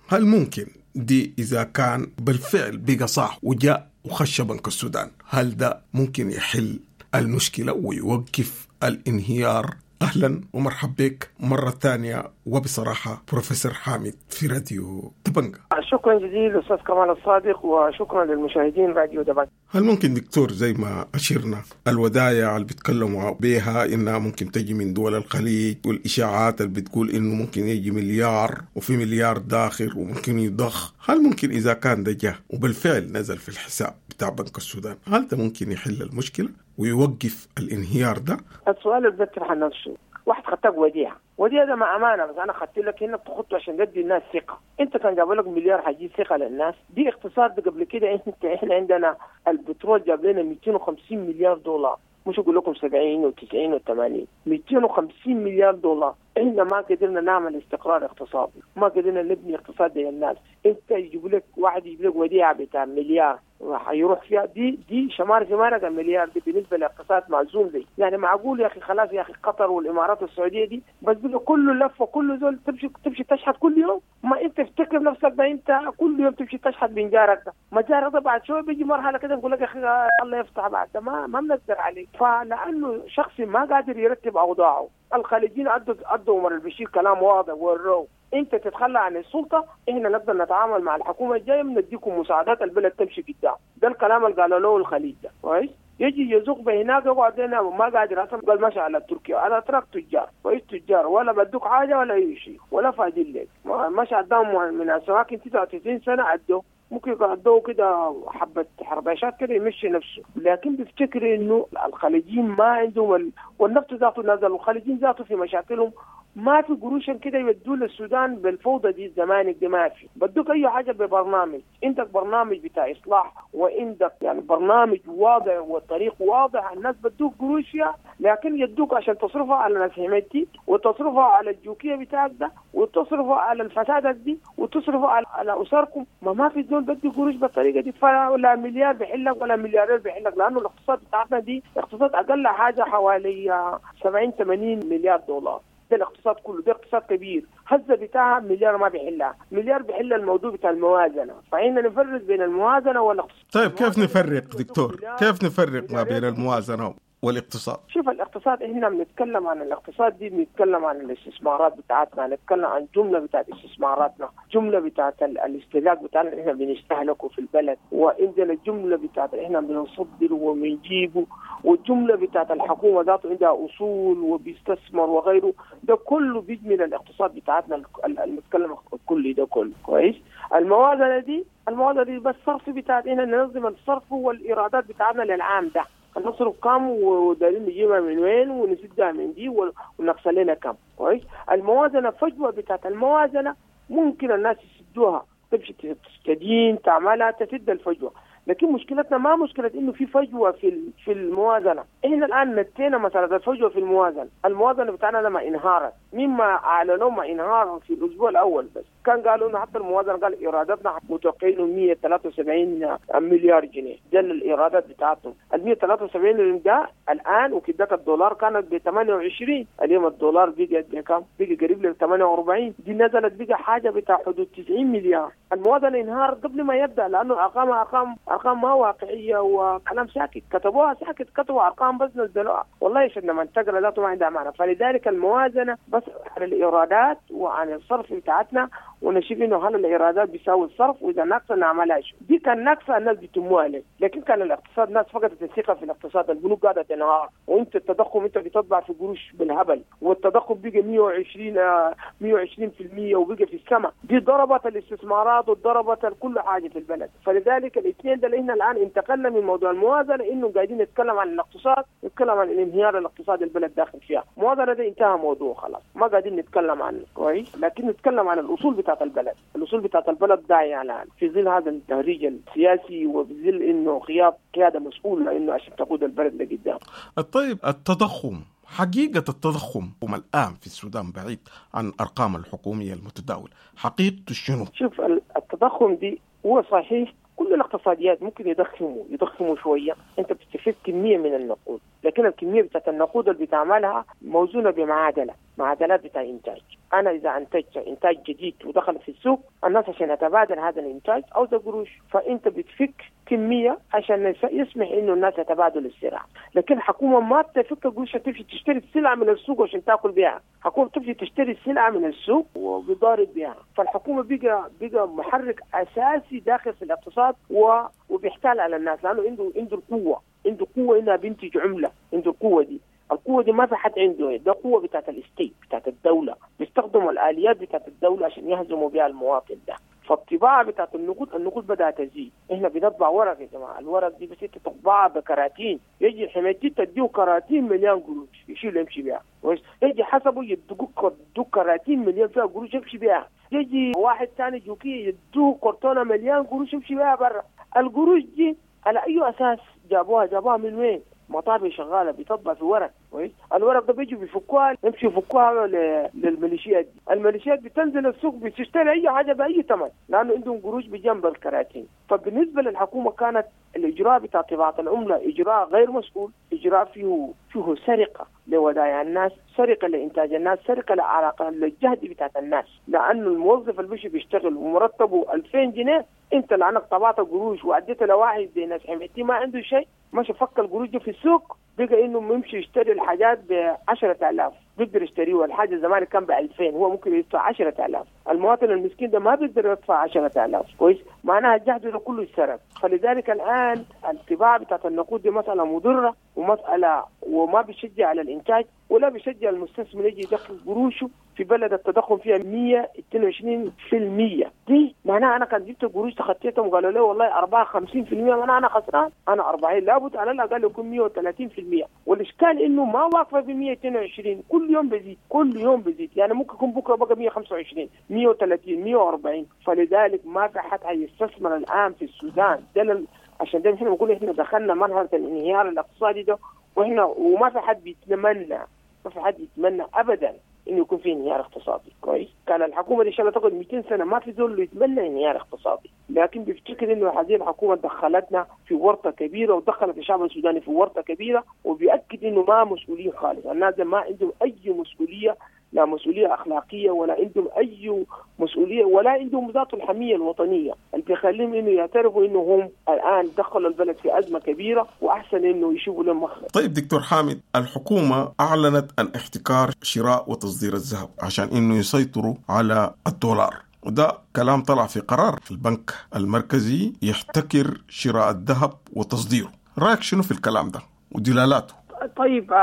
هل ممكن دي إذا كان بالفعل بقى صح وجاء وخش بنك السودان، هل ده ممكن يحل المشكلة ويوقف الانهيار؟ أهلا ومرحبا بك مرة ثانية وبصراحة بروفيسور حامد في راديو دبنجا. شكرا جزيلا أستاذ كمال الصادق، وشكرا للمشاهدين راديو دبنجا. هل ممكن دكتور زي ما أشرنا الودايع اللي بيتكلموا بيها إنها ممكن تجي من دول الخليج، والإشاعات اللي بتقول إنه ممكن يجي مليار وفي مليار داخل وممكن يضخ، هل ممكن إذا كان ده جه وبالفعل نزل في الحساب بتاع بنك السودان، هل ده ممكن يحل المشكلة ويوقف الانهيار ده؟ السؤال اللي بيطرح نفسه، واحد خدتك وديعة، وديعة ده مع أمانة، بس أنا خدت لك هنا بتخطه عشان تدي الناس ثقة. أنت كان جابوا لك مليار حيجيب ثقة للناس؟ دي اقتصاد قبل كده. أنت إحنا عندنا البترول جاب لنا 250 مليار دولار، مش أقول لكم 70 و90 و80، 250 مليار دولار. إحنا ما قدرنا نعمل استقرار اقتصادي، ما قدرنا نبني اقتصاد للناس. أنت يجيب لك واحد يجيب لك وديعة بتاع مليار، حيروح فيها. دي شمار في مارق المليار دي بالنسبة لاقتصاد معزوم زي يعني معقول يا اخي؟ خلاص يا اخي قطر والامارات والسعودية دي بس بقى كله لفه، كله زول تمشي تشحت كل يوم. ما انت تفتكر نفسك ده انت كل يوم تمشي تشحت من جارك ده، ما جارك ده بعد شوية بيجي مرحلة كده بيقول لك يا اخي الله يفتح بعد ده ما بنقدر عليك. فلانه شخص ما قادر يرتب اوضاعه. الخليجيين ادوا عمر البشير كلام واضح وروه انت تتخلى عن السلطة، احنا نقدر نتعامل مع الحكومة الجاية، بنديكم مساعدات البلد تمشي قدام. ده الكلام اللي قالوا له الخليج ده كويس. يجي يزوق بهناك يقعد هنا ما قادر اصلا، قال ماشي على تركيا، على ترك تجار كويس، تجار ولا بدوك حاجة ولا اي شيء ولا فاضيين لك. ماشي قدام من السواكن 99 سنة عدوا، ممكن يقعدوا كده حبة حرباشات كده يمشي نفسه. لكن بيفتكر انه الخليجيين ما عندهم والنفط ذاته نزل، والخليجيين ذاته في مشاكلهم ما في قروش كده يودوا للسودان بالفوضى دي الزمانك دي ما في. بدوك اي حاجة ببرنامج، عندك برنامج بتاع اصلاح وعندك يعني برنامج واضح وطريق واضح، الناس بدوك قروش لكن يدوك عشان تصرفها على ناس حميتي وتصرفها على الجوكيه بتاعك ده وتصرفها على الفساد دي وتصرفها على اسركم. ما في زول بدي قروش بالطريقة دي، ولا مليار بحلك ولا مليارين بحلك، لانه الاقتصاد بتاعتنا دي اقتصاد اقل حاجة حوالي 70 80 مليار دولار. ده الاقتصاد كله، ده اقتصاد كبير، هزه بتاعها مليار ما بيحلها، مليار بيحل الموضوع بتاع الموازنة. فإحنا نفرق بين الموازنة والاقتصاد. طيب كيف نفرق دكتور؟ كيف نفرق ما بين الموازنة والاقتصاد؟ شوف الاقتصاد، احنا بنتكلم عن الاقتصاد دي، بنتكلم عن الاستثمارات بتاعتنا، نتكلم عن جملة بتاعت استثماراتنا، جملة بتاعت الاستهلاك بتاعنا اللي احنا بنستهلكه في البلد، وعندنا الجملة بتاعت احنا بنصدر وبنجيبه، والجملة بتاعت الحكومة ذاته عندها اصول وبيستثمر وغيره، ده كله بيجي من الاقتصاد بتاعتنا المتكلم الكلي ده كله كويس. الموازنة دي بس الصرف بتاعت احنا ننظم الصرف والايرادات بتاعتنا للعام ده، نصرف كم ودارين نجيبها من وين ونسدها من دي ونقص لنا كم كويس. الموازنة فجوة بتاعت الموازنة ممكن الناس يسدوها، تمشي تستدين تعملها تسد الفجوة. لكن مشكلتنا ما مشكلة انه في فجوة في الموازنة، احنا الان نتينا مسالة الفجوة في الموازنة، الموازنة بتاعنا لما انهارت مما اعلنوا ما انهار في الاسبوع الاول بس، كان قالوا انه حتى الموازنة قال ايراداتنا متوقعين 173 مليار جنيه، ده الايرادات بتاعتهم، ال 173 ده الان وكدك الدولار كانت ب 28، اليوم الدولار بقى بكم؟ بقى قريب ل 48، دي نزلت بقى حاجة بتاع حدود 90 مليار. الموازنة انهار قبل ما يبدا لانه ارقام ما واقعية وكلام ساكت، كتبوها ساكت، كتبوا ارقام بس نزلوها، والله عشان لما تقرا ذاته ما عندها معنى. فلذلك الموازنة بس عن الايرادات وعن الصرف بتاعتنا، ونشوف انه هل الايرادات بيساوي الصرف، واذا ناقصه نعملها شو. دي كان ناقصه الناس بيتموها لك، لكن كان الاقتصاد الناس فقدت الثقة في الاقتصاد، البنوك قاعدة تنهار، وانت التضخم انت بتطبع في قروش بالهبل، والتضخم بقى 120% وبقى في السماء، دي ضربت الاستثمارات وضربت كل حاجة في البلد. فلذلك الاثنين ده اللي احنا الان انتقلنا من موضوع الموازنة انه قاعدين نتكلم عن الاقتصاد، نتكلم عن الانهيار الاقتصادي البلد داخل فيها. الموازنة ده انتهى موضوع خلاص، ما قاعدين نتكلم عنه كويس، لكن نتكلم عن الاصول بتاعت البلد، الاصول بتاعت البلد ضايعة الان في ظل هذا التهريج السياسي وفي ظل انه غياب قيادة مسؤولة انه عشان تقود البلد لقدام. طيب التضخم، حقيقة التضخم الآن في السودان بعيد عن أرقام الحكومية المتداولة، حقيقته شنو؟ شوف التضخم دي هو صحيح كل الاقتصاديات ممكن يضخموا شوية، أنت بتستفيد كمية من النقود، لكن الكمية بتاعت النقود اللي بتعملها موزونة بمعادلة، معادلات بتاع إنتاج. أنا إذا أنتجت إنتاج جديد ودخل في السوق، الناس عشان يتبادل هذا الإنتاج أو ده قروش، فأنت بتفك كمية عشان يسمح إنه الناس يتبادلوا السلع. لكن الحكومة ما بتفك قروش تمشي تشتري السلعة من السوق عشان تاكل بها، الحكومة تمشي تشتري السلعة من السوق وبيضارب بها. فالحكومة بقى محرك أساسي داخل في الاقتصاد وبيحتال على الناس، لأنه عنده القوة، عنده قوة إنها بينتج عملة، عنده القوة دي. القوة دي ما في حد عنده، ده قوة بتاعت الستيت بتاعت الدولة، بيستخدموا الآليات بتاعت الدولة عشان يهزموا بها المواطن ده. فالطباعة بتاعت النقود بدأت تزيد، احنا بنطبع ورق يا جماعة، الورق دي بس انت تطبعها بكراتين، يجي الحميتي تديه كراتين مليان قروش يشيل يمشي بها، يجي حسبه يدوك كراتين مليان فيها قروش يمشي بها، يجي واحد ثاني جوكي يدوه كرتونة مليان قروش يمشي بها برا. القروش دي على أي أساس جابوها؟ جابوها من وين؟ مطابع شغالة بتطبع في ورق، كويس؟ الورق ده بيجوا بيفكوها، يمشوا يفكوها للميليشيات دي. الميليشيات بتنزل السوق بتشتري اي حاجة باي ثمن، لانه عندهم قروش بجنب الكراتين. فبالنسبه للحكومة كانت الاجراء بتاع طباعه العملة اجراء غير مسؤول، اجراء فيه سرقه لودائع الناس، سرقه لانتاج الناس، سرقه لعلاقة للجهد بتاعت الناس، لانه الموظف اللي بيجي بيشتغل ومرتبة 2000 جنيه، انت لانك طبعت قروش واديت لواحد زي ناس حميتي ما عنده شيء، ماشي فك القروش دي في السوق، بقى انه يمشي يشتري الحاجات ب 10000، بيقدر يشتريها. الحاجة زمان كان ب 2000، هو ممكن يدفع 10000. المواطن المسكين ده ما بيقدر يدفع 10000، كويس؟ معناها الجهد ده كله اتسرق. فلذلك الان الطباعة بتاعت النقود دي مسالة مضرة، ومسالة وما بيشجع على الانتاج، ولا بيشجع المستثمر يجي يدخل قروشه في بلد التضخم فيها 122%. دي معناها انا كان جبت قروش تخطيتهم وقالوا لي والله 54%، معناها انا خسران، انا 40، لابد على الاقل يكون 130%. والاشكال انه ما واقفة في 122، كل يوم بيزيد، كل يوم بيزيد، يعني ممكن يكون بكره بقى 125، 130، 140. فلذلك ما في حد حيستثمر الان في السودان ده، عشان ده احنا بنقول احنا دخلنا مرحلة الانهيار الاقتصادي ده، واحنا وما في حد بيتمنى، ما في حد يتمنى ابدا انه يكون في انهيار اقتصادي، كويس؟ كان الحكومة دي ان شاء الله تقعد 200 سنة ما في زول يتمنى انهيار اقتصادي، لكن بيفتكر انه هذه الحكومة دخلتنا في ورطة كبيرة، ودخلت الشعب السوداني في ورطة كبيرة، وبيأكد انه ما مسؤولين خالص، الناس ما عندهم اي مسؤولية، لا مسؤولية اخلاقية ولا عندهم اي مسؤولية، ولا عندهم ذات الحمية الوطنية اللي بيخليهم انه يعترفوا انه هم الان دخلوا البلد في ازمة كبيرة، واحسن انه يشوفوا لهم مخرج. طيب دكتور حامد، الحكومة اعلنت عن احتكار شراء وتصدير الذهب عشان انه يسيطروا على الدولار، وده كلام طلع في قرار البنك المركزي يحتكر شراء الذهب وتصديره. رايك شنو في الكلام ده ودلالاته؟ طيب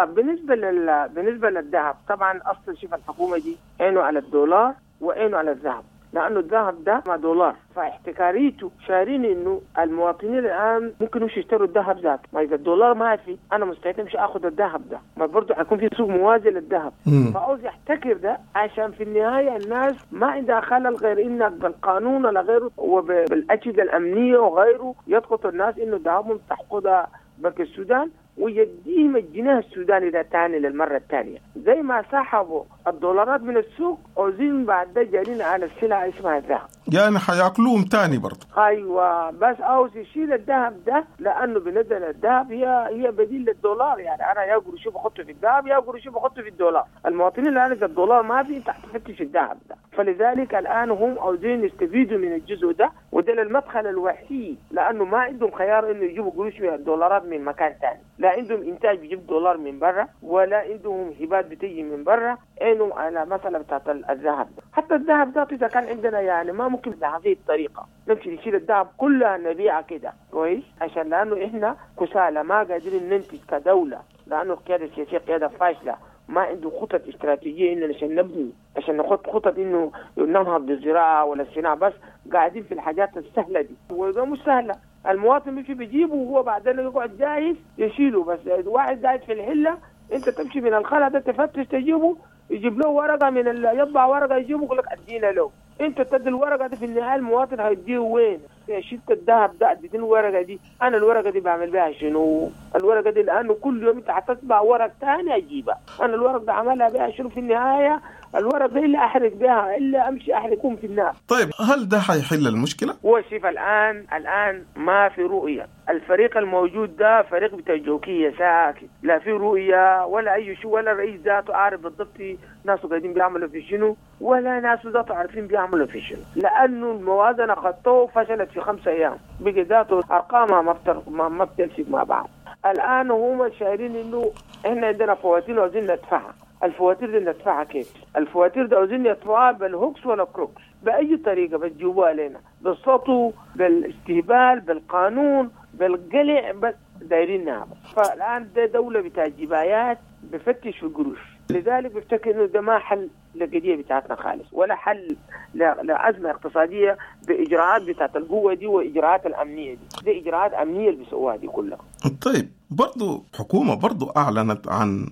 بالنسبة للذهب، طبعا اصلا شوف الحكومة دي عينه على الدولار وعينه على الذهب، لانه الذهب ده مع دولار، فاحتكاريته شارين انه المواطنين الان ممكن يمشوا يشتروا الذهب ذاته، ما اذا الدولار ما في انا مستعد امشي اخذ الذهب ده، ما برضه حيكون في سوق موازي للذهب. فعاوز يحتكر ده عشان في النهاية الناس ما عندها خلل غير انك بالقانون ولا غيره وبالاجهزه الامنية وغيره يضغط الناس انه ذهبهم تحقدها بنك السودان ويديهم الجنيه السوداني ده تاني للمرة الثانية، زي ما سحبوا الدولارات من السوق عاوزين بعد ده جارين على السلعة اسمها الذهب، يعني حياكلوهم تاني برضه. ايوه، بس عاوز يشيل الذهب ده لانه بالنسبة للذهب هي بديل للدولار، يعني انا يا قروشي بحطه في الذهب يا قروشي بحطه في الدولار. المواطنين الان اذا الدولار ما في انت حتفتش الذهب ده، فلذلك الان هم عاوزين يستفيدوا من الجزء ده، وده المدخل الوحيد، لانه ما عندهم خيار انه يجيبوا قروش من الدولارات من مكان ثاني، لا عندهم انتاج بيجيب دولار من برا، ولا عندهم هبات بتيجي من برا، عينهم على مسألة بتاعت الذهب ده. حتى الذهب ده اذا كان عندنا يعني ما ممكن بهذه الطريقة نمشي نشيل الذهب كلها نبيعها كده، كويس؟ عشان لانه احنا كسالى ما قادرين ننتج كدولة، لانه القيادة السياسية قيادة فاشلة، ما عنده خطط استراتيجية انه عشان نبني، عشان نحط خطط انه ننهض بالزراعة ولا الصناعة، بس قاعدين في الحاجات السهلة دي، وده مش سهلة. المواطن بيمشي بيجيبه وهو بعدين يقعد جاهز يشيله، بس واحد قاعد في الحلة انت تمشي من الخلا ده تفتش تجيبه، يجيب له ورقة من يطبع ورقة يجيبه يقول لك ادينا له، انت تدي الورقة دي في النهاية المواطن هيديه وين؟ شلت الذهب ده اديتني الورقة دي، انا الورقة دي بعمل بها شنو؟ الورقة دي لانه كل يوم انت حتطبع ورق ثاني اجيبها، انا الورق ده عملها بها شنو في النهاية؟ الورق ده الا احرق بها، الا امشي احرقهم في النار. طيب هل ده حيحل المشكلة؟ هو شوف الان ما في رؤية، الفريق الموجود ده فريق بتاع جوكيه ساكت، لا في رؤية ولا اي شيء، ولا الرئيس ذاته عارف بالضبط ناسه قاعدين بيعملوا في شنو، ولا ناسه ذاته عارفين بيعملوا في شنو، لانه الموازنة خطوة فشلت في 5 ايام، بقي ذاته ارقامها ما بتمسك مع بعض. الان هم شايرين انه احنا عندنا فواتير وعاوزين ندفعها، الفواتير دي ندفعها كيف؟ الفواتير دي عاوزين يدفعوها بال hoax ولا crooks، بأي طريقة بتجيبوها لنا، بالسطو، بالاستهبال، بالقانون، بالقلع، بس دايرينها. فالآن ده دولة بتاع جبايات بفتش في القروش، لذلك بفتكر إنه ده ما حل للقضية بتاعتنا خالص، ولا حل لأزمة اقتصادية بإجراءات بتاعت القوة دي وإجراءات الأمنية دي، دي إجراءات أمنية اللي بيسووها دي كلها. طيب برضو حكومة برضو أعلنت عن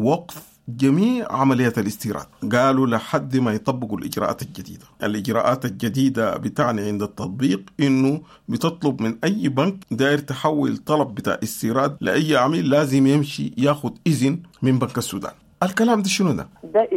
وقف جميع عمليات الاستيراد، قالوا لحد ما يطبقوا الإجراءات الجديدة. الإجراءات الجديدة بتعني عند التطبيق إنه بتطلب من أي بنك داير تحول طلب بتاع استيراد لأي عميل لازم يمشي ياخد إذن من بنك السودان. الكلام ده شنو ده؟ ده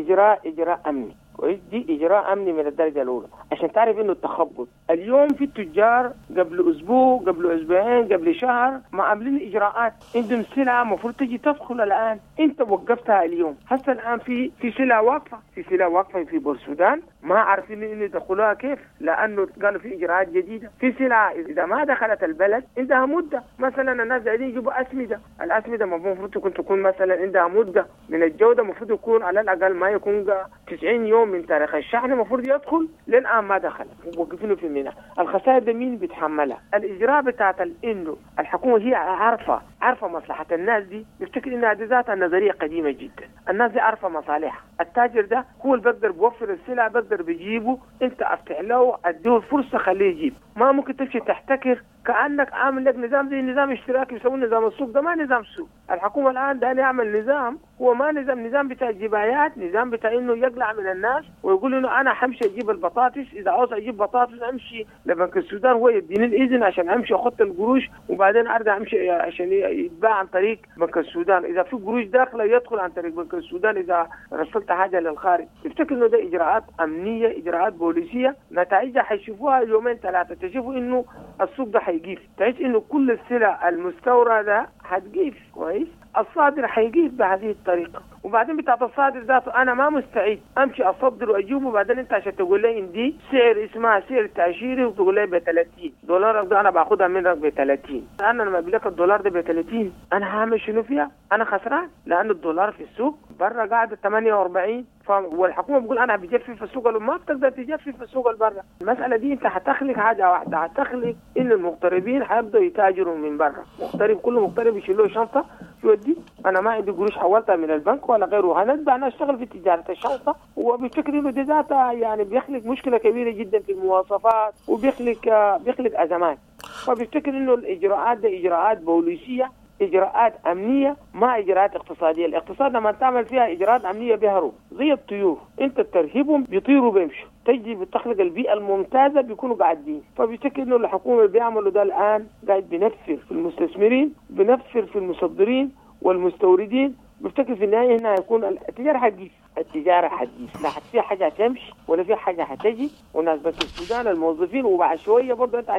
إجراء أمني، كويس؟ دي إجراء أمني من الدرجة الأولى عشان تعرف إنه التخبط اليوم في التجار قبل أسبوع، قبل أسبوعين، قبل شهر ما عاملين إجراءات، عندهم سلعة المفروض تجي تدخل الآن، أنت وقفتها اليوم. هسه الآن في سلعة واقفة، في سلعة واقفة في بورسودان ما عارفين إنه يدخلوها كيف، لأنه قالوا في إجراءات جديدة. في سلعة إذا ما دخلت البلد عندها مدة، مثلا الناس قاعدين يجيبوا أسمدة، الأسمدة المفروض تكون مثلا عندها مدة من الجودة، المفروض يكون على الأقل ما يكون 90 يوم من تاريخ الشحن المفروض يدخل، للآن ما دخل، وقفينه في الميناء. الخسائر ده مين بيتحملها؟ الإجراء بتاعت إنه الحكومة هي عارفة مصلحة الناس دي، بيفتكر إنها دي ذاتها نظرية قديمة جدا. الناس دي عارفة مصالحها، التاجر ده هو اللي بقدر بيوفر السلع، بقدر بيجيبه، أنت أفتح له أديه الفرصة خليه يجيب. ما ممكن تمشي تحتكر كأنك عامل لك نظام زي نظام اشتراكي بيسموه نظام السوق، ده ما نظام سوق. الحكومة الآن ده يعمل نظام، هو ما نظام بتاع جبايات، نظام بتاع إنه يقلع من الناس ويقول إنه أنا حمشي أجيب البطاطس، إذا عاوز أجيب بطاطس أمشي لبنك السودان هو يديني الإذن عشان أمشي أخط القروش، وبعدين أرجع أمشي عشان يتباع عن طريق بنك السودان، إذا في قروش داخلة يدخل عن طريق بنك السودان إذا رسلت حاجة للخارج. تفتكر إنه ده إجراءات أمنية، إجراءات بوليسية، نتائجها حيشوفوها يومين ثلاثة، تشوفوا إنه السوق ده حيقيف، تحس إنه كل السلع المستوردة حتقيف، كويس؟ الصادر حيقيف بهذه الطريقة. وبعدين بتاعت الصادر ذاته أنا ما مستعد أمشي أصدر وأجيبه، وبعدين أنت عشان تقول لي إن دي سعر اسمها سعر تأشيري وتقول لي ب 30 دولار، ده أنا باخدها منك ب 30، أنا لما بلك الدولار ده ب 30 أنا هعمل شنو فيها؟ أنا خسران، لأن الدولار في السوق برا قاعد 48، والحكومة بتقول أنا بجفف السوق، ما بتقدر تجفف السوق البرا. المسألة دي أنت هتخلق حاجة واحدة، هتخلق إن المغتربين حيبدأوا يتاجروا من برا، مغترب كل مغترب يشيل له شنطة يودي، أنا ما عندي قروش حولتها من البنك ولا غيره، هنتبع أنا أشتغل في تجارة الشنطة. وبيفتكر إنه دي ذاتها يعني بيخلق مشكلة كبيرة جدا في المواصفات، وبيخلق أزمات. فبيفتكر إنه الإجراءات دي إجراءات بوليسية، إجراءات أمنية، ما إجراءات اقتصادية. الاقتصاد لما تعمل فيها إجراءات أمنية بيهرب زي الطيور، أنت ترهبهم بيطيروا بيمشوا، تجي بتخلق البيئة الممتازة بيكونوا قاعدين. فبيفتكر إنه الحكومة بيعملوا ده الآن قاعد بنفر في المستثمرين، بنفر في المصدرين والمستوردين. بفتكر في النهاية هنا هيكون التجارة حتجيف، التجارة حتجيف، لا في حاجة هتمشي ولا في حاجة هتجي. والناس بس السودان الموظفين، وبعد شوية برضه أنت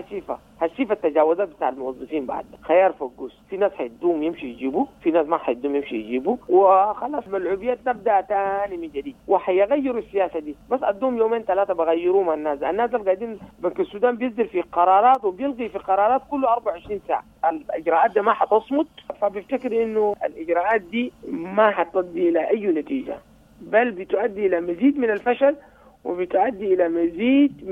هتشوف التجاوزات بتاع الموظفين بعد خيار فقوس، في ناس حيدوم يمشي يجيبوا، في ناس ما حيدوم يمشي يجيبوا، وخلاص ملعوبيات نبدأ تاني من جديد. وحيغيروا السياسة دي، بس أدوم يومين ثلاثة بغيروه مع الناس. الناس اللي قاعدين بنك السودان بيصدر في قرارات وبيلغي في قرارات كله 24 ساعة، الإجراءات دي ما حتصمت. فبفتكر إنه الإجراءات دي ما حتؤدي إلى أي نتيجة، بل بتؤدي إلى مزيد من الفشل، وبتؤدي إلى مزيد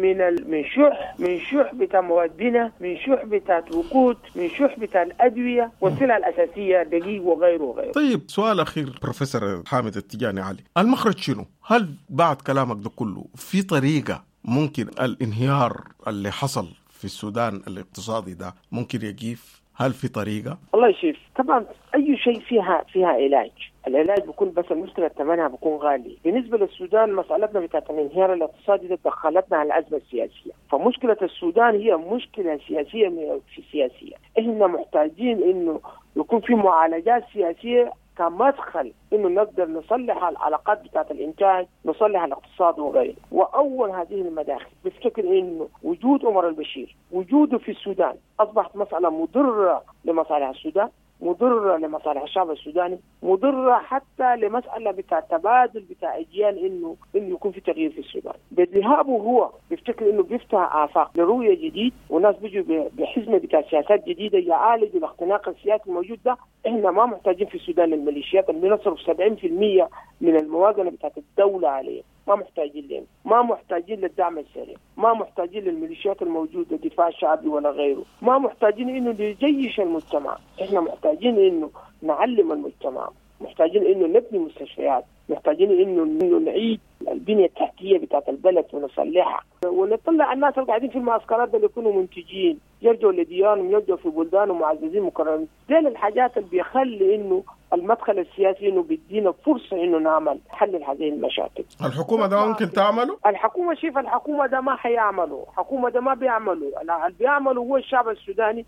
من شح بتاع مواد بناء، من شح بتاع وقود، من شح بتاع الأدوية والسلع الأساسية دقيق وغيره وغيره. طيب سؤال أخير بروفيسور حامد التجاني علي، المخرج شنو؟ هل بعد كلامك ده كله في طريقة ممكن الانهيار اللي حصل في السودان الاقتصادي ده ممكن يقيف؟ هل في طريقة؟ الله يشيف. طبعا أي شيء فيها علاج، العلاج بيكون بس المشكلة ثمنها بيكون غالي. بالنسبة للسودان مسألتنا بتاعت الانهيار الاقتصادي ده دخلتنا على الأزمة السياسية، فمشكلة السودان هي مشكلة سياسية في سياسية. إحنا محتاجين إنه يكون في معالجات سياسية كمدخل إنه نقدر نصلح العلاقات بتاعت الإنتاج، نصلح الاقتصاد وغيره. وأول هذه المداخل بفتكر إنه وجود عمر البشير، وجوده في السودان أصبحت مسألة مضرة لمصالح السودان، مضرة لمصالح الشعب السوداني، مضرة حتى لمسألة بتاع تبادل بتاع أجيال إنه يكون في تغيير في السودان. بذهابه هو بيفتكر إنه بيفتح آفاق لرؤية جديد، وناس بيجوا بحزمة بتاع سياسات جديدة يعالجوا الاختناق السياسي الموجود ده. إحنا ما محتاجين في السودان الميليشيات اللي بنصرف 70% من الموازنة بتاعت الدولة عليه، ما محتاجين لهم، ما محتاجين للدعم السريع، ما محتاجين للميليشيات الموجودة دفاع شعبي ولا غيره، ما محتاجين إنه نجيش المجتمع. إحنا محتاجين إنه نعلم المجتمع، محتاجين إنه نبني مستشفيات، محتاجين إنه نعيد البنية التحتية بتاعت البلد ونصلحها، ونطلع الناس اللي قاعدين في المعسكرات اللي يكونوا منتجين، يرجعوا لديارهم، يرجعوا في بلدانهم معززين مكرمين. دي الحاجات اللي بيخلي إنه المدخل السياسي انه بيدينا فرصة انه نعمل حل هذه المشاكل. الحكومة ده ممكن تعمله؟ الحكومة شوف، الحكومة ده ما حيعملوا، الحكومة ده ما بيعملوا، اللي بيعملوا هو الشعب السوداني.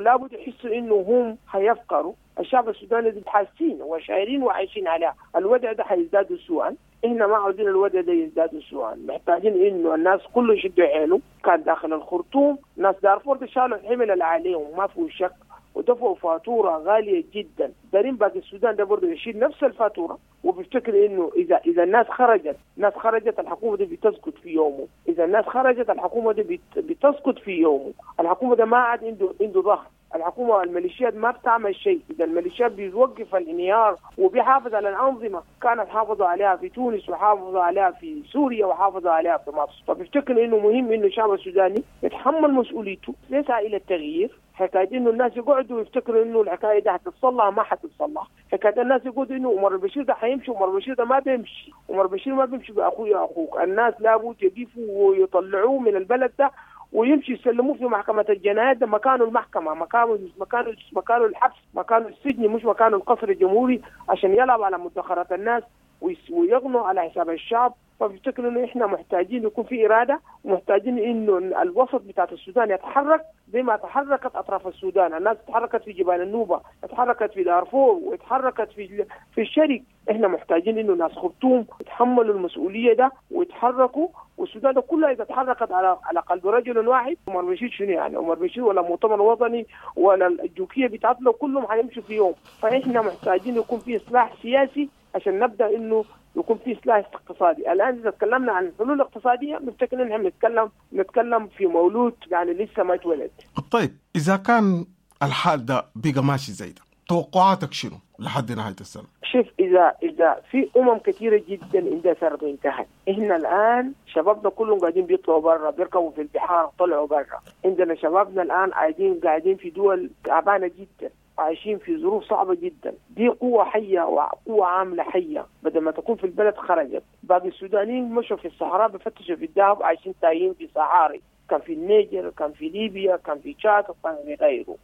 لابد يحسوا انه هم حيفقروا، الشعب السوداني حاسين وشاعرين وعايشين عليها، الوضع ده حيزداد سوءا. احنا ما عاوزين الوضع ده يزداد سوءا، محتاجين انه الناس كله يشدوا حيله. كان داخل الخرطوم ناس دارفور شالوا الحمل اللي عليهم ما فيه شك، ودفعوا فاتورة غالية جدا. دارين باقي السودان ده برضه يشيل نفس الفاتورة، وبيفتكر انه اذا الناس خرجت، الناس خرجت الحكومة دي بتسقط في يومه، اذا الناس خرجت الحكومة دي بتسقط في يومه، الحكومة ده ما عاد عنده ظهر. الحكومة الميليشيات ما بتعمل شيء، اذا الميليشيات بيوقف الانهيار وبيحافظ على الانظمة كانت حافظوا عليها في تونس وحافظوا عليها في سوريا وحافظوا عليها في مصر. فبفتكر انه مهم انه الشعب السوداني يتحمل مسؤوليته، يسعى الى التغيير. حكاية انه الناس يقعدوا يفتكروا انه الحكاية دي حتتصلح ما حتتصلح، حكاية الناس يقولوا انه عمر البشير ده حيمشي، عمر البشير ده ما بيمشي، عمر البشير ما بيمشي باخوي اخوك، الناس لابد يقفوا ويطلعوه من البلد ده ويمشي يسلموه في محكمة الجنايات، ده مكانه المحكمة، مكانه الحبس، مكانه السجن، مش مكانه القصر الجمهوري عشان يلعب على مدخرات الناس ويغنوا على حساب الشعب. فبفتكر انه احنا محتاجين يكون في اراده، ومحتاجين انه الوسط بتاعت السودان يتحرك زي ما تحركت اطراف السودان، الناس تحركت في جبال النوبة، تحركت في دارفور، وتحركت في الشرق. احنا محتاجين انه ناس خرطوم يتحملوا المسؤولية ده ويتحركوا، والسودان ده كلها اذا تحركت على قلب رجل واحد، عمر بشير شنو يعني؟ عمر بشير ولا مؤتمر وطني ولا الجوكيه بتاعتنا كلهم حيمشوا في يوم. فاحنا محتاجين يكون في اصلاح سياسي عشان نبدا انه يكون في اصلاح اقتصادي. الان اذا تكلمنا عن الحلول الاقتصادية بنفتكر ان احنا نتكلم في مولود يعني لسه ما اتولد. طيب اذا كان الحال ده بقى ماشي زي ده، توقعاتك شنو لحد نهاية السنة؟ شوف، اذا في كثيرة جدا اندثرت وانتهت. احنا الان شبابنا كلهم قاعدين بيطلعوا برا، بيركبوا في البحار طلعوا برا. عندنا شبابنا الان قاعدين في دول تعبانة جدا، عايشين في ظروف صعبة جدا. دي قوة حية وقوة عاملة حية، بدل ما تكون في البلد خرجت. باقي السودانيين مشوا في الصحراء بفتشوا في الذهب، عايشين تايهين في صحاري، كان في النيجر، كان في ليبيا، كان في تشاد، وكان في غيره.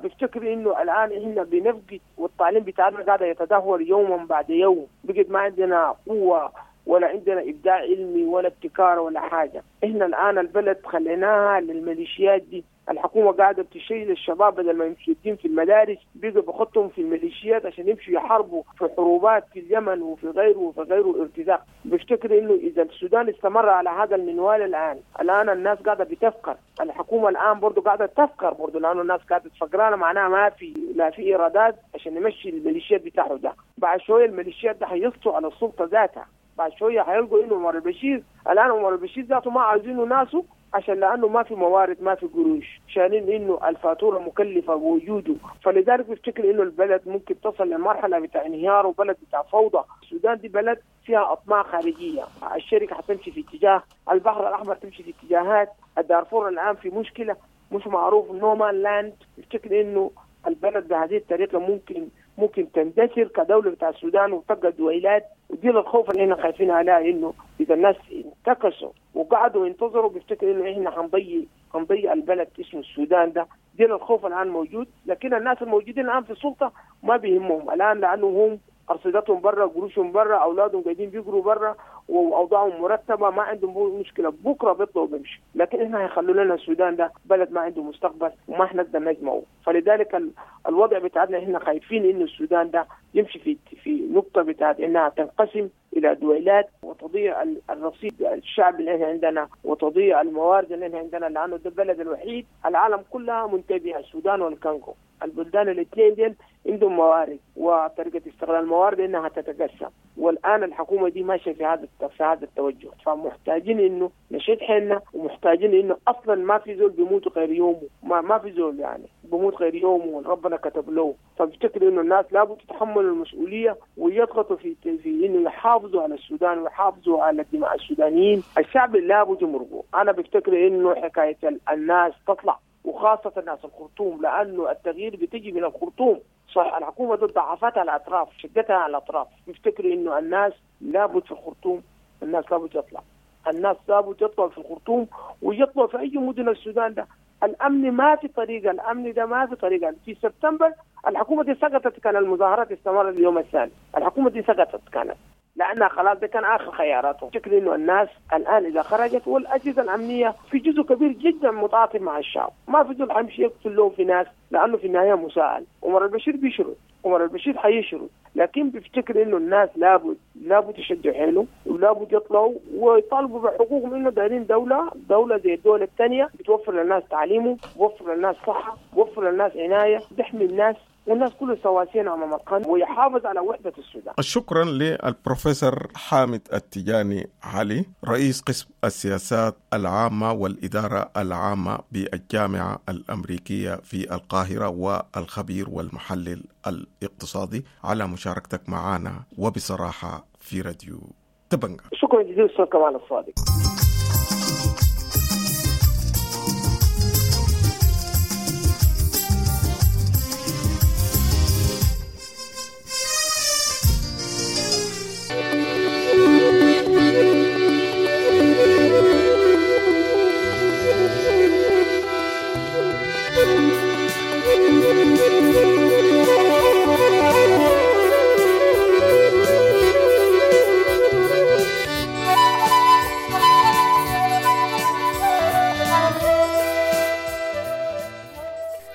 بفتكر انه الان احنا بنفقد، والتعليم بتاعنا قاعد يتدهور يوما بعد يوم، بقت ما عندنا قوة ولا عندنا ابداع علمي ولا ابتكار ولا حاجة. احنا الان البلد خليناها للميليشيات دي، الحكومة قاعدة بتشيل الشباب بدل ما يمشوا الدين في المدارس بيجوا بخطهم في الميليشيات عشان يمشوا يحاربوا في حروبات في اليمن وفي غيره وفي غيره ارتزاق. بفتكر انه اذا السودان استمر على هذا المنوال الان الناس قاعدة بتفكر، الحكومة الان برضه قاعدة تفكر برضه، لانه الناس قاعدة تفكرانه، معناها ما في لا في ايرادات عشان نمشي الميليشيات بتاعه ده. بعد شوية الميليشيات ده حيسطوا على السلطة ذاتها، بعد شوية حيلقوا انه عمر البشير الان عمر البشير ذاته ما عايزينه ناسه، عشان لانه ما في موارد ما في قروش، شايلين انه الفاتورة مكلفة بوجوده. فلذلك بفتكر انه البلد ممكن تصل لمرحلة بتاع انهيار وبلد بتاع فوضى. السودان دي بلد فيها اطماع خارجية، الشركة حتمشي في اتجاه، البحر الاحمر تمشي في اتجاهات، الدارفور الان في مشكلة مش معروف، no man land. بفتكر انه البلد بهذه الطريقة ممكن تندثر كدولة بتاع السودان وتبقى دويلات. ودي الخوف اللي احنا خايفين عليها، انه اذا الناس انتكسوا وقعدوا ينتظروا بيفتكروا انه احنا هنضيع البلد اسمه السودان ده. دي الخوف الان موجود، لكن الناس الموجودين الان في السلطة ما بيهمهم الان، لانه هم ارصدتهم برا، قروشهم برا، اولادهم قاعدين بيقروا برا، واوضاعهم مرتبه، ما عندهم مشكلة، بكره بيطلعوا بيمشوا. لكن احنا هيخلوا لنا السودان ده بلد ما عنده مستقبل وما حنقدر نجمعه. فلذلك الوضع بتاعنا احنا خايفين انه السودان ده يمشي في نقطة بتاعت انها تنقسم الى دويلات وتضيع الرصيد الشعب اللي احنا عندنا وتضيع الموارد اللي احنا عندنا، لانه ده البلد الوحيد العالم كلها منتبهه، السودان والكونغو، البلدان الاثنين ديل عندهم موارد وطريقه استغلال الموارد انها تتقسم. والان الحكومة دي ماشية في هذا التوجه، فمحتاجين انه نشد حيلنا، ومحتاجين انه اصلا ما في زول بيموت غير يومه، ما في زول يعني بيموت غير يومه ربنا كتب له. فبفتكر انه الناس لابد تتحمل المسؤولية ويضغطوا في انه يحافظوا على السودان ويحافظوا على دماء السودانيين. الشعب لابد يمرقوا. انا بفتكر انه حكاية الناس تطلع، وخاصة ناس الخرطوم، لأنه التغيير بتجي من الخرطوم. صح الحكومة ضد ضعفتها على الأطراف، شدتها على الأطراف. بفتكر إنه الناس لابد في الخرطوم، الناس لابد تطلع، الناس لابد تطلع في الخرطوم ويطلع في أي مدن السودان ده. الأمن ما في طريقة، الأمن ده ما في طريقة. في سبتمبر الحكومة دي سقطت، كان المظاهرات استمرت اليوم الثاني، الحكومة دي سقطت كانت، لأنها خلاص ده كان آخر خياراتهم. شكل إنه الناس الآن إذا خرجت، والأجهزة الأمنية في جزء كبير جدا متعاطف مع الشعب، ما في زول حيمشي يقتل له في ناس، لأنه في النهاية مساءل. عمر البشير بيشرد، عمر البشير حيشرد، لكن بيفتكر إنه الناس لابد يشدوا حيلهم، ولابد يطلعوا ويطالبوا بحقوقهم، إنه دايرين دولة زي الدول الثانية بتوفر للناس تعليمه، بتوفر للناس صحة، بتوفر للناس عناية، بتحمي الناس، والناس كله سواسيا امام القانون، ويحافظ على وحده السودان. شكرا للبروفيسور حامد التجاني علي، رئيس قسم السياسات العامة والادارة العامة بالجامعة الامريكية في القاهرة، والخبير والمحلل الاقتصادي، على مشاركتك معنا وبصراحة في راديو دبنجا. شكرا جزيلا استاذ كمال الصادق.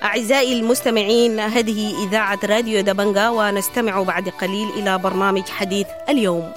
أعزائي المستمعين، هذه إذاعة راديو دبنجا، ونستمع بعد قليل إلى برنامج حديث اليوم.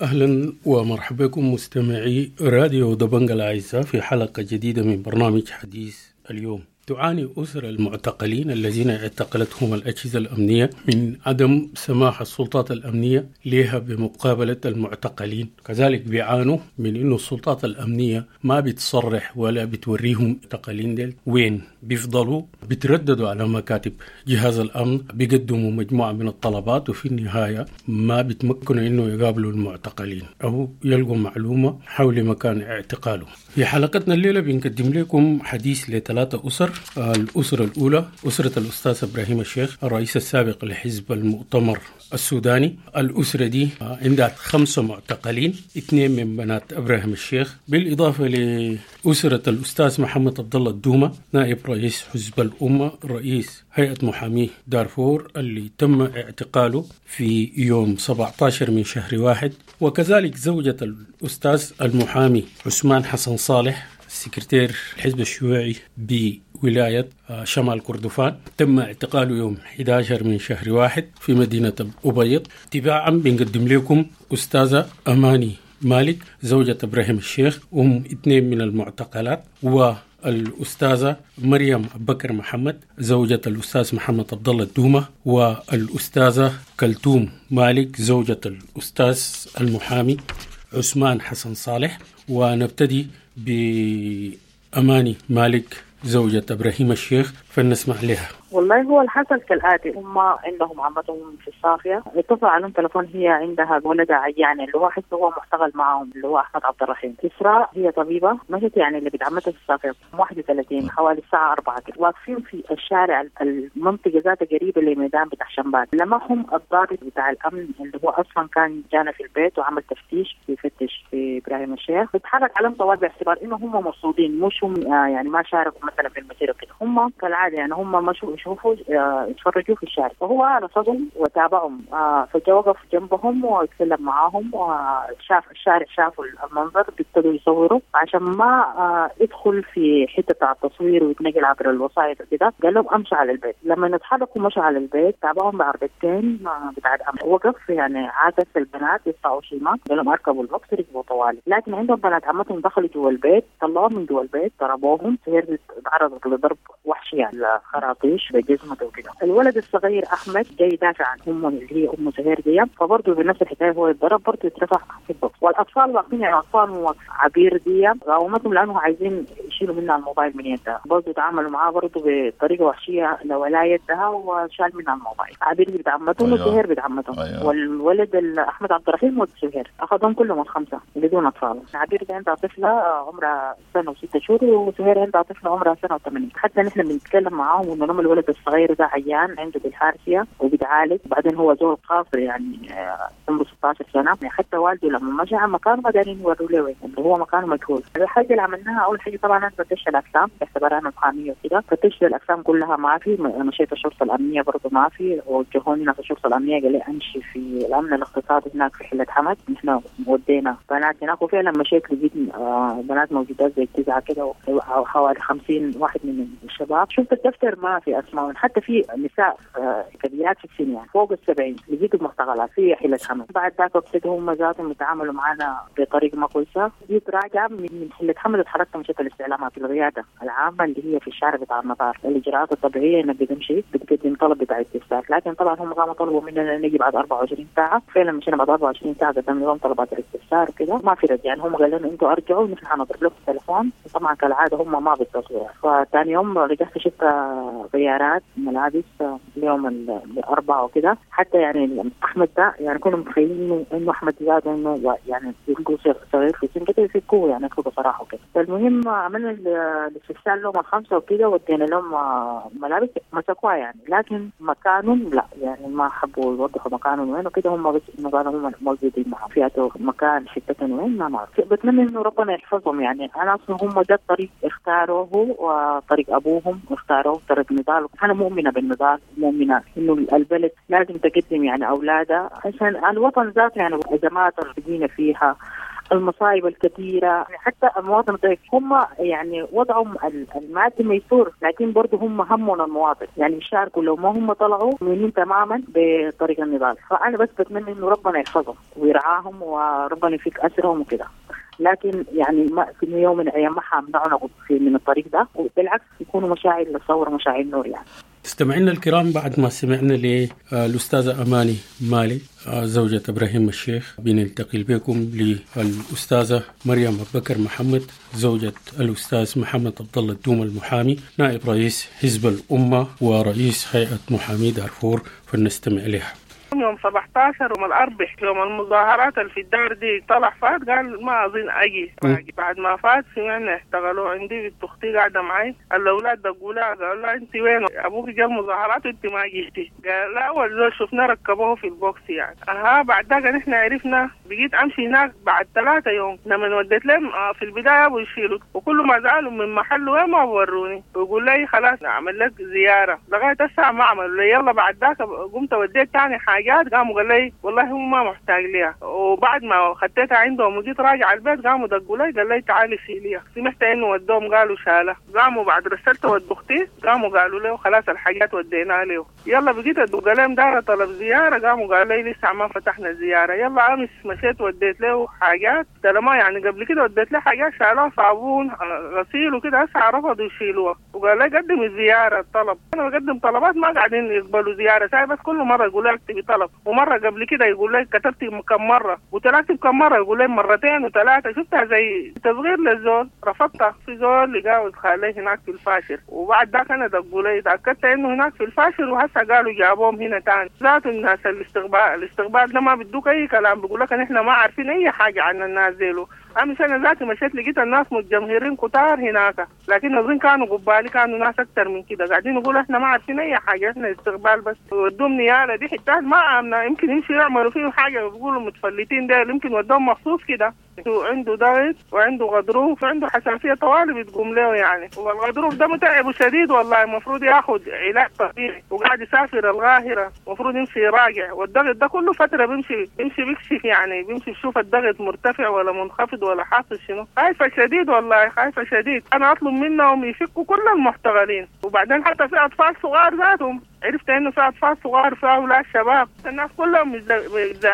أهلا ومرحبا بكم مستمعي راديو دبنجا الأعزاء في حلقة جديدة من برنامج حديث اليوم. تعاني أسر المعتقلين الذين اعتقلتهم الأجهزة الأمنية من عدم سماح السلطات الأمنية لها بمقابلة المعتقلين، كذلك بيعانوا من إنه السلطات الأمنية ما بتصرح ولا بتوريهم المعتقلين ديل وين، بيفضلوا بيترددوا على مكاتب جهاز الأمن، بيقدموا مجموعة من الطلبات وفي النهاية ما بيتمكنوا إنه يقابلوا المعتقلين أو يلقوا معلومة حول مكان اعتقاله. في حلقتنا الليلة بنقدم لكم حديث لثلاثة أسر. الأسرة الأولى أسرة الأستاذ إبراهيم الشيخ الرئيس السابق لحزب المؤتمر السوداني. الأسرة دي عندها 5 معتقلين، 2 من بنات إبراهيم الشيخ، بالإضافة لأسرة الأستاذ محمد عبد الله الدومة نائب رئيس حزب الأمة رئيس هيئة محامي دارفور اللي تم اعتقاله في يوم 17 من شهر 1، وكذلك زوجة الأستاذ المحامي عثمان حسن صالح سكرتير الحزب الشيوعي بولاية شمال كردفان، تم اعتقاله يوم 11 من شهر 1 في مدينة الأبيض. تباعا بنقدم لكم أستاذة أماني مالك زوجة إبراهيم الشيخ أم 2 من المعتقلات، والأستاذة مريم بكر محمد زوجة الأستاذ محمد عبد الله الدومة، والأستاذة كلثوم مالك زوجة الأستاذ المحامي عثمان حسن صالح. ونبتدي بأماني مالك زوجة إبراهيم الشيخ فلنسمع لها. والله هو الحصل كالآتي، هم عندهم عمتهم في الصافية، اتصل عليهم تلفون، هي عندها ولدها عيان اللي هو حس هو محتغل معهم اللي هو أحمد عبد الرحيم. إسراء هي طبيبة مشت يعني اللي بنت عمتها في الصافية 31 حوالي الساعة 4 كده، واقفين في الشارع المنطقة ذاتها قريبة لميدان بتاع شمبات. لمحهم الضابط بتاع الأمن اللي هو أصلا كان جانا في البيت وعمل تفتيش بيفتش في إبراهيم الشيخ، بيتحرك عليهم طوال باعتبار إنه هم مرصودين، مش هم يعني ما شاركوا مثلا في المسيرة كده، هم كالعادة يعني هم مشوا يشوفوا يتفرجوا في الشارع، فهو رصدهم وتابعهم، فجاء وقف جنبهم ويتكلم معاهم وشاف الشارع، شافوا المنظر بيبتدوا يصوروا عشان ما يدخل في حتة بتاع التصوير ويتنقل عبر الوسائط وكده. قال لهم امشوا على البيت. لما اتحركوا مشوا على البيت، تابعهم بعربتين بتاع الامن، وقف يعني عاكس البنات يدفعوا شيء ما، قال لهم اركبوا البوكس، ركبوا طوالي. لكن عندهم بنات عمتهم دخلوا جوا البيت، طلعوهم من جوا البيت، ضربوهم، سهير تعرضت لضرب وحشي يعني خراطيش بجزمته وكده. الولد الصغير احمد جاي يدافع عن امه اللي هي ام سهير دي، فبرضه بنفس الحكاية هو يتضرب برضه يترفع في البوكس. والاطفال واقفين يعني اطفال واقف عبير دي قاومتهم لانه عايزين يشيلوا منها الموبايل من يدها. برضه تعاملوا معاه برضه بطريقة وحشية لو لا يدها وشال منها الموبايل. عبير بنت عمتهم وسهير بنت عمتهم. والولد احمد عبد الرحيم وسهير اخذهم كلهم الخمسة بدون اطفال. عبير عندها طفله عمرها سنة و6 شهور، وسهير عندها طفله عمرها سنة و8. حتى نحن بنتكلم معاهم انه الولد الصغير ده عيان عنده بالحارسيه وبيتعالج، وبعدين هو زول قاصر يعني عمره 16 سنة. يعني حتى والده لما مشى على مكانه ما دارين يوروا له وين، اللي هو مكانه مجهول. الحاجة اللي عملناها اول حاجة طبعا انا فتشت الاقسام باعتبارها انا محاميه وكده، فتشت الاقسام كلها ما في، مشيت الشرطة الامنية برضه ما في، وجهوني ناس الشرطة الامنية قال لي امشي في الامن الاقتصادي هناك في حله حمد. نحن ودينا بنات هناك، وفعلا مشيت لقيت بنات موجودات زي 9 كده حوالي 50 واحد من الشباب. شفت الدفتر ما في اسماء، حتى في نساء كبيرات في السن يعني فوق 70 لقيت المعتقلات في حله حمد. بعد ذاك ابتدوا هم ذاتهم يتعاملوا معنا بطريقة ما كويسة. جيت راجعه من حله حمد اتحركت مشيت الاستعلامات القيادة العامة اللي هي في الشارع بتاع المطار. الاجراءات الطبيعية انك بتمشي بتقدم طلب بتاع استفسار، لكن طبعا هم قاموا طلبوا مننا نجي بعد 24 ساعة. فعلا مشينا بعد 24 ساعة قدمنا لهم طلبات الاستفسار وكده ما في رد. يعني هم قالوا لنا انتوا ارجعوا نحن حنضرب لكم التليفون، طبعا كالعادة هم ما بيتصلوا. فثاني يوم رجعت شفت غيارات ملابس اليوم الاربعاء وكده. حتى يعني احمد ده يعني كنا متخيلين انه احمد زاد انه يعني يلقوا صغير في سن كده يفكوه يعني يطلقوا صراحة وكده. فالمهم عملنا الاستفسار لهم الخمسة وكده ودينا لهم ملابس مسكوها يعني، لكن مكانهم لا يعني ما حبوا يوضحوا مكانهم وين وكده. هم بس انه قالوا هم موجودين معهم في مكان حتة وين ما نعرف. بتمنى انه ربنا يحفظهم. يعني انا اصلا هم ده الطريق اختاروه وطريق ابوهم اختاروه طريق نضال. انا مؤمنة بالنضال، مؤمنة انه البلد لازم تقدم يعني اولادها عشان الوطن ذاته، يعني الازمات اللي بقينا فيها المصايب الكثيرة، يعني حتى المواطن الضعيف هم يعني وضعهم المادي ميسور، لكن برضه هم همهم المواطن يعني يشاركوا. لو ما هم طلعوا مؤمنين تماما بطريق النضال. فأنا بس بتمنى إنه ربنا يحفظهم ويرعاهم وربنا يفك أسرهم وكده، لكن يعني ما في يوم من الأيام ما حامنعنا من الطريق ده، وبالعكس يكونوا مشاعر للثورة مشاعر نور يعني. استمعنا الكرام بعد ما سمعنا للأستاذة أماني مالي زوجة إبراهيم الشيخ، بننتقل بكم للأستاذة مريم أبو بكر محمد زوجة الأستاذ محمد عبد الله الدوم المحامي نائب رئيس حزب الأمة ورئيس هيئة محامي دارفور، فلنستمع لها. يوم 17 يوم الأربع يوم المظاهرات اللي في الدار دي طلع فات قال ما أظن أجي. بعد ما فات سمعنا احتغلوه عندي بنت أختي قاعدة معي، الأولاد دقوا لها قالوا لها أنت وين؟ أبوك جا المظاهرات وأنت ما جيتي. قال لا أول زول شفنا ركبوه في البوكس يعني. بعد ذاك نحن عرفنا. بقيت أمشي هناك بعد 3 يوم لما وديت لهم في البداية أبو يشيلوا، وكل ما زعلوا من محله وين ما بوروني ويقول لي خلاص أعمل لك زيارة، لغاية الساعة ما عملوا لي. يلا بعد ذاك قمت وديت تاني حاجات، قاموا قال لي والله هو ما محتاج ليها. وبعد ما خدتها عندهم وجيت راجع البيت قاموا دقوا لي قال لي تعالي شيليها. سمعت انه ودوهم قالوا شالها. قاموا بعد رسلت ود اختي قاموا قالوا له خلاص الحاجات وديناها له. يلا بقيت ادق لهم دار طلب زيارة، قاموا قالوا لي لسه ما فتحنا الزيارة. يلا امس مشيت وديت له حاجات ما يعني قبل كده وديت له حاجات شالوها صابون غسيل وكده، هسه رفضوا يشيلوها وقال لي قدم الزيارة الطلب. انا بقدم طلبات ما قاعدين يقبلوا زيارة ساي، بس كل مرة يقولوا لي اكتبي طلب، ومرة قبل كده يقول لي كتبتي كم مرة وتلاتة كم مرة يقول لي مرتين وثلاثة. شفتها زي تصغير للزول، رفضتها. في زول لقاه خالي هناك في الفاشر، وبعد ذاك انا دقوا لي تاكدت انه هناك في الفاشر، وهسه قالوا جابوهم هنا تاني. ذات الناس الاستقبال ده ما بدوك اي كلام، بيقول لك احنا ما عارفين اي حاجة عن الناس ديلو. امس انا ذاتي مشيت لقيت الناس متجمهرين كتار هناك، لكن اظن كانوا قبالي كانوا ناس اكتر من كده قاعدين يقولوا احنا ما عارفين اي حاجة، احنا استقبال بس. ودوهم نياله دي حتات ما امنه، يمكن يمشوا يعملوا فيه حاجة، بيقولوا متفلتين ده يمكن ودوهم مخصوص كده. عنده ضغط وعنده غضروف وعنده حساسية طوالي بتقوم له يعني، والغضروف ده متعب شديد والله، المفروض ياخد علاج طبيعي وقاعد يسافر القاهرة، المفروض يمشي يراجع. والضغط ده كله فترة بيمشي بيكشف يعني، بيمشي يشوف الضغط مرتفع ولا منخفض ولا حاصل شنو. خايفة شديد والله، خايفة شديد. انا اطلب منهم يفكوا كل المحتغلين، وبعدين حتى في اطفال صغار ذاتهم عرفت انه في اطفال صغار في اولاد شباب، الناس كلهم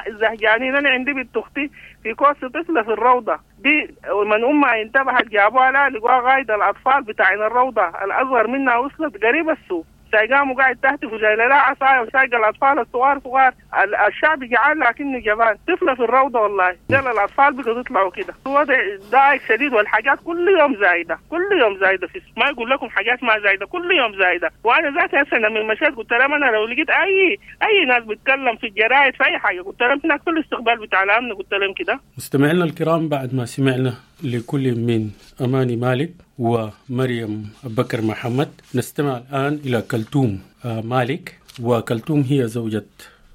زهجانين. انا عندي بنت اختي في كوس طفله في الروضة دي، ومن امها انتبهت جابوها لها لقوها غايده الاطفال بتاعين الروضة الاصغر منها وصلت قريب السوق. سايقام وقاعد تهتف وشايله لها عصاية وسايقه الاطفال الصغار صغار. الشعب جعان لكنه جبان. طفله في الروضة والله ديل الاطفال بقوا يطلعوا كده. الوضع ضايق شديد، والحاجات كل يوم زايدة، كل يوم زايدة. في ما يقول لكم حاجات ما زايدة، كل يوم زايدة. وانا ذاتي هسه لما مشيت قلت لهم انا لو لقيت اي ناس بتكلم في الجرايد في اي حاجة، قلت لهم هناك في الاستقبال بتاع الامن، قلت لهم كده. مستمعينا الكرام، بعد ما سمعنا لكل من أماني مالك ومريم بكر محمد، نستمع الآن إلى كلثوم مالك. وكلثوم هي زوجة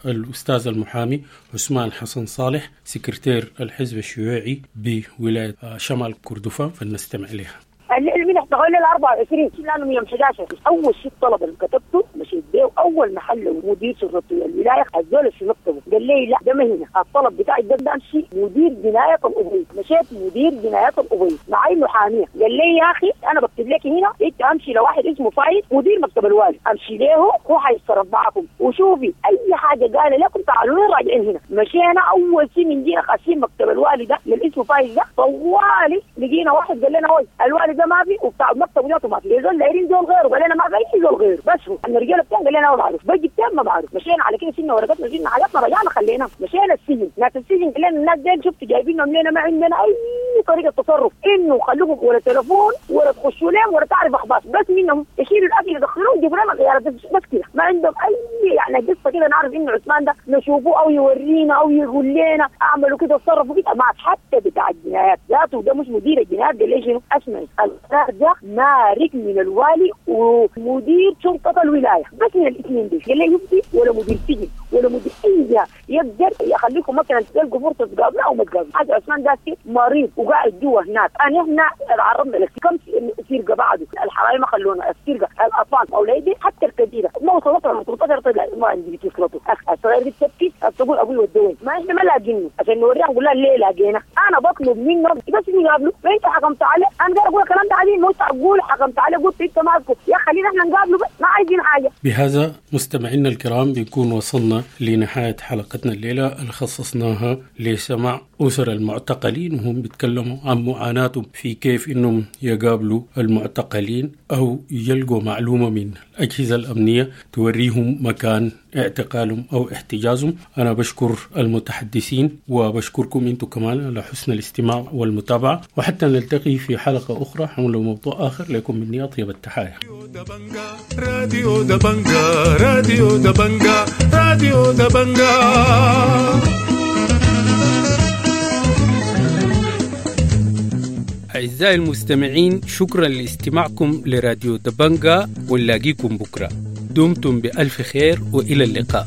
الأستاذ المحامي عثمان حسن صالح، سكرتير الحزب الشيوعي بولاية شمال كردفان، فلنستمع إليها. اللي احتغلنا ال 24 لانه يوم 11 اول شيء الطلب اللي كتبته مشيت بيه اول محل مدير شرطه الولاية الزول في مكتبه قال لي لا ده ما هنا الطلب بتاعي ده امشي مدير جناية الابيض. مشيت مدير جناية الابيض معي محاميه، قال لي يا اخي انا بكتب لك هنا، انت امشي لواحد اسمه فايز مدير مكتب الوالي، امشي له هو حيتصرف معكم وشوفي اي حاجة قال لكم تعالوا لي راجعين هنا. مشينا اول شيء من جينا خاشين مكتب الوالي ده للاسمه فايز ده، طوالي لقينا واحد قال لنا هوي الوالي ده ما في وبتاع المكتب وذاته ما في، زول دايرين زول غيره، قال لنا ما في اي زول غيره، بس هو الرجالة بتاعنا قال لنا ما بعرف، بيجي بتاع ما بعرف. مشينا على كده شلنا ورقتنا شلنا حاجاتنا رجعنا خلينا مشينا السجن. ناس السجن قال لنا الناس ديل شفت جايبينهم لنا ما عندنا اي طريقه تصرف، انه خلوكم ولا تليفون ولا تخشوا لهم ولا تعرف اخبار، بس منهم يشيلوا الاكل يدخلوه يجيبوا لنا غيارات بس كده، ما عندهم اي يعني قصة كده نعرف انه عثمان ده نشوفه او يورينا او يقول لنا اعملوا كده اتصرفوا كده. ما حتى بتاع الجنايات ذاته ده مش مدير الجنايات قال لي شنو اسمعي القرار ده مارك من الوالي ومدير شرطة الولاية، بس من الاثنين دي. قال لي يبدي ولا مدير سجن ولا مدير اي جهة يقدر يخليكم مثلا تلقوا فرصة تقابلوا او ما تقابلوا. حاجة عثمان ده مريض وقاعد جوا هناك. انا احنا تعرضنا لكم سرقة بعده، الحرايم ما خلونا السرقة، الاطفال اولادي حتى الكبيرة ما وصلت لهم 18 طلع ما عندي وصلته، الصغير دي تبكي تقول ابوي ودوني، ما احنا ما لاقينه عشان نوريها نقول لها ليه لاقينا. انا بطلب منهم بس نقابله، ما انت حكمت عليه، انا قاعد اقول الكلام ده عادي، مش اقول حكمت عليه قلت انت ماسكه يا خلينا احنا نقابله بس ما عايزين حاجة. بهذا مستمعينا الكرام بيكون وصلنا لنهاية حلقتنا الليلة اللي خصصناها لسماع اسر المعتقلين وهم بيتكلموا عن معاناتهم في كيف انهم يقابلوا المعتقلين او يلقوا معلومة من الاجهزة الامنية توريهم مكان اعتقالهم او احتجازهم. انا بشكر المتحدثين وبشكركم انتم كمان على حسن الاستماع والمتابعة، وحتى نلتقي في حلقة اخرى حول موضوع اخر. لكم مني اطيب التحايا. راديو دبنجا، راديو دبنجا، راديو دبنجا. أعزائي المستمعين، شكرا لاستماعكم لراديو دبنجا، ونلاقيكم بكرة. دمتم بألف خير وإلى اللقاء.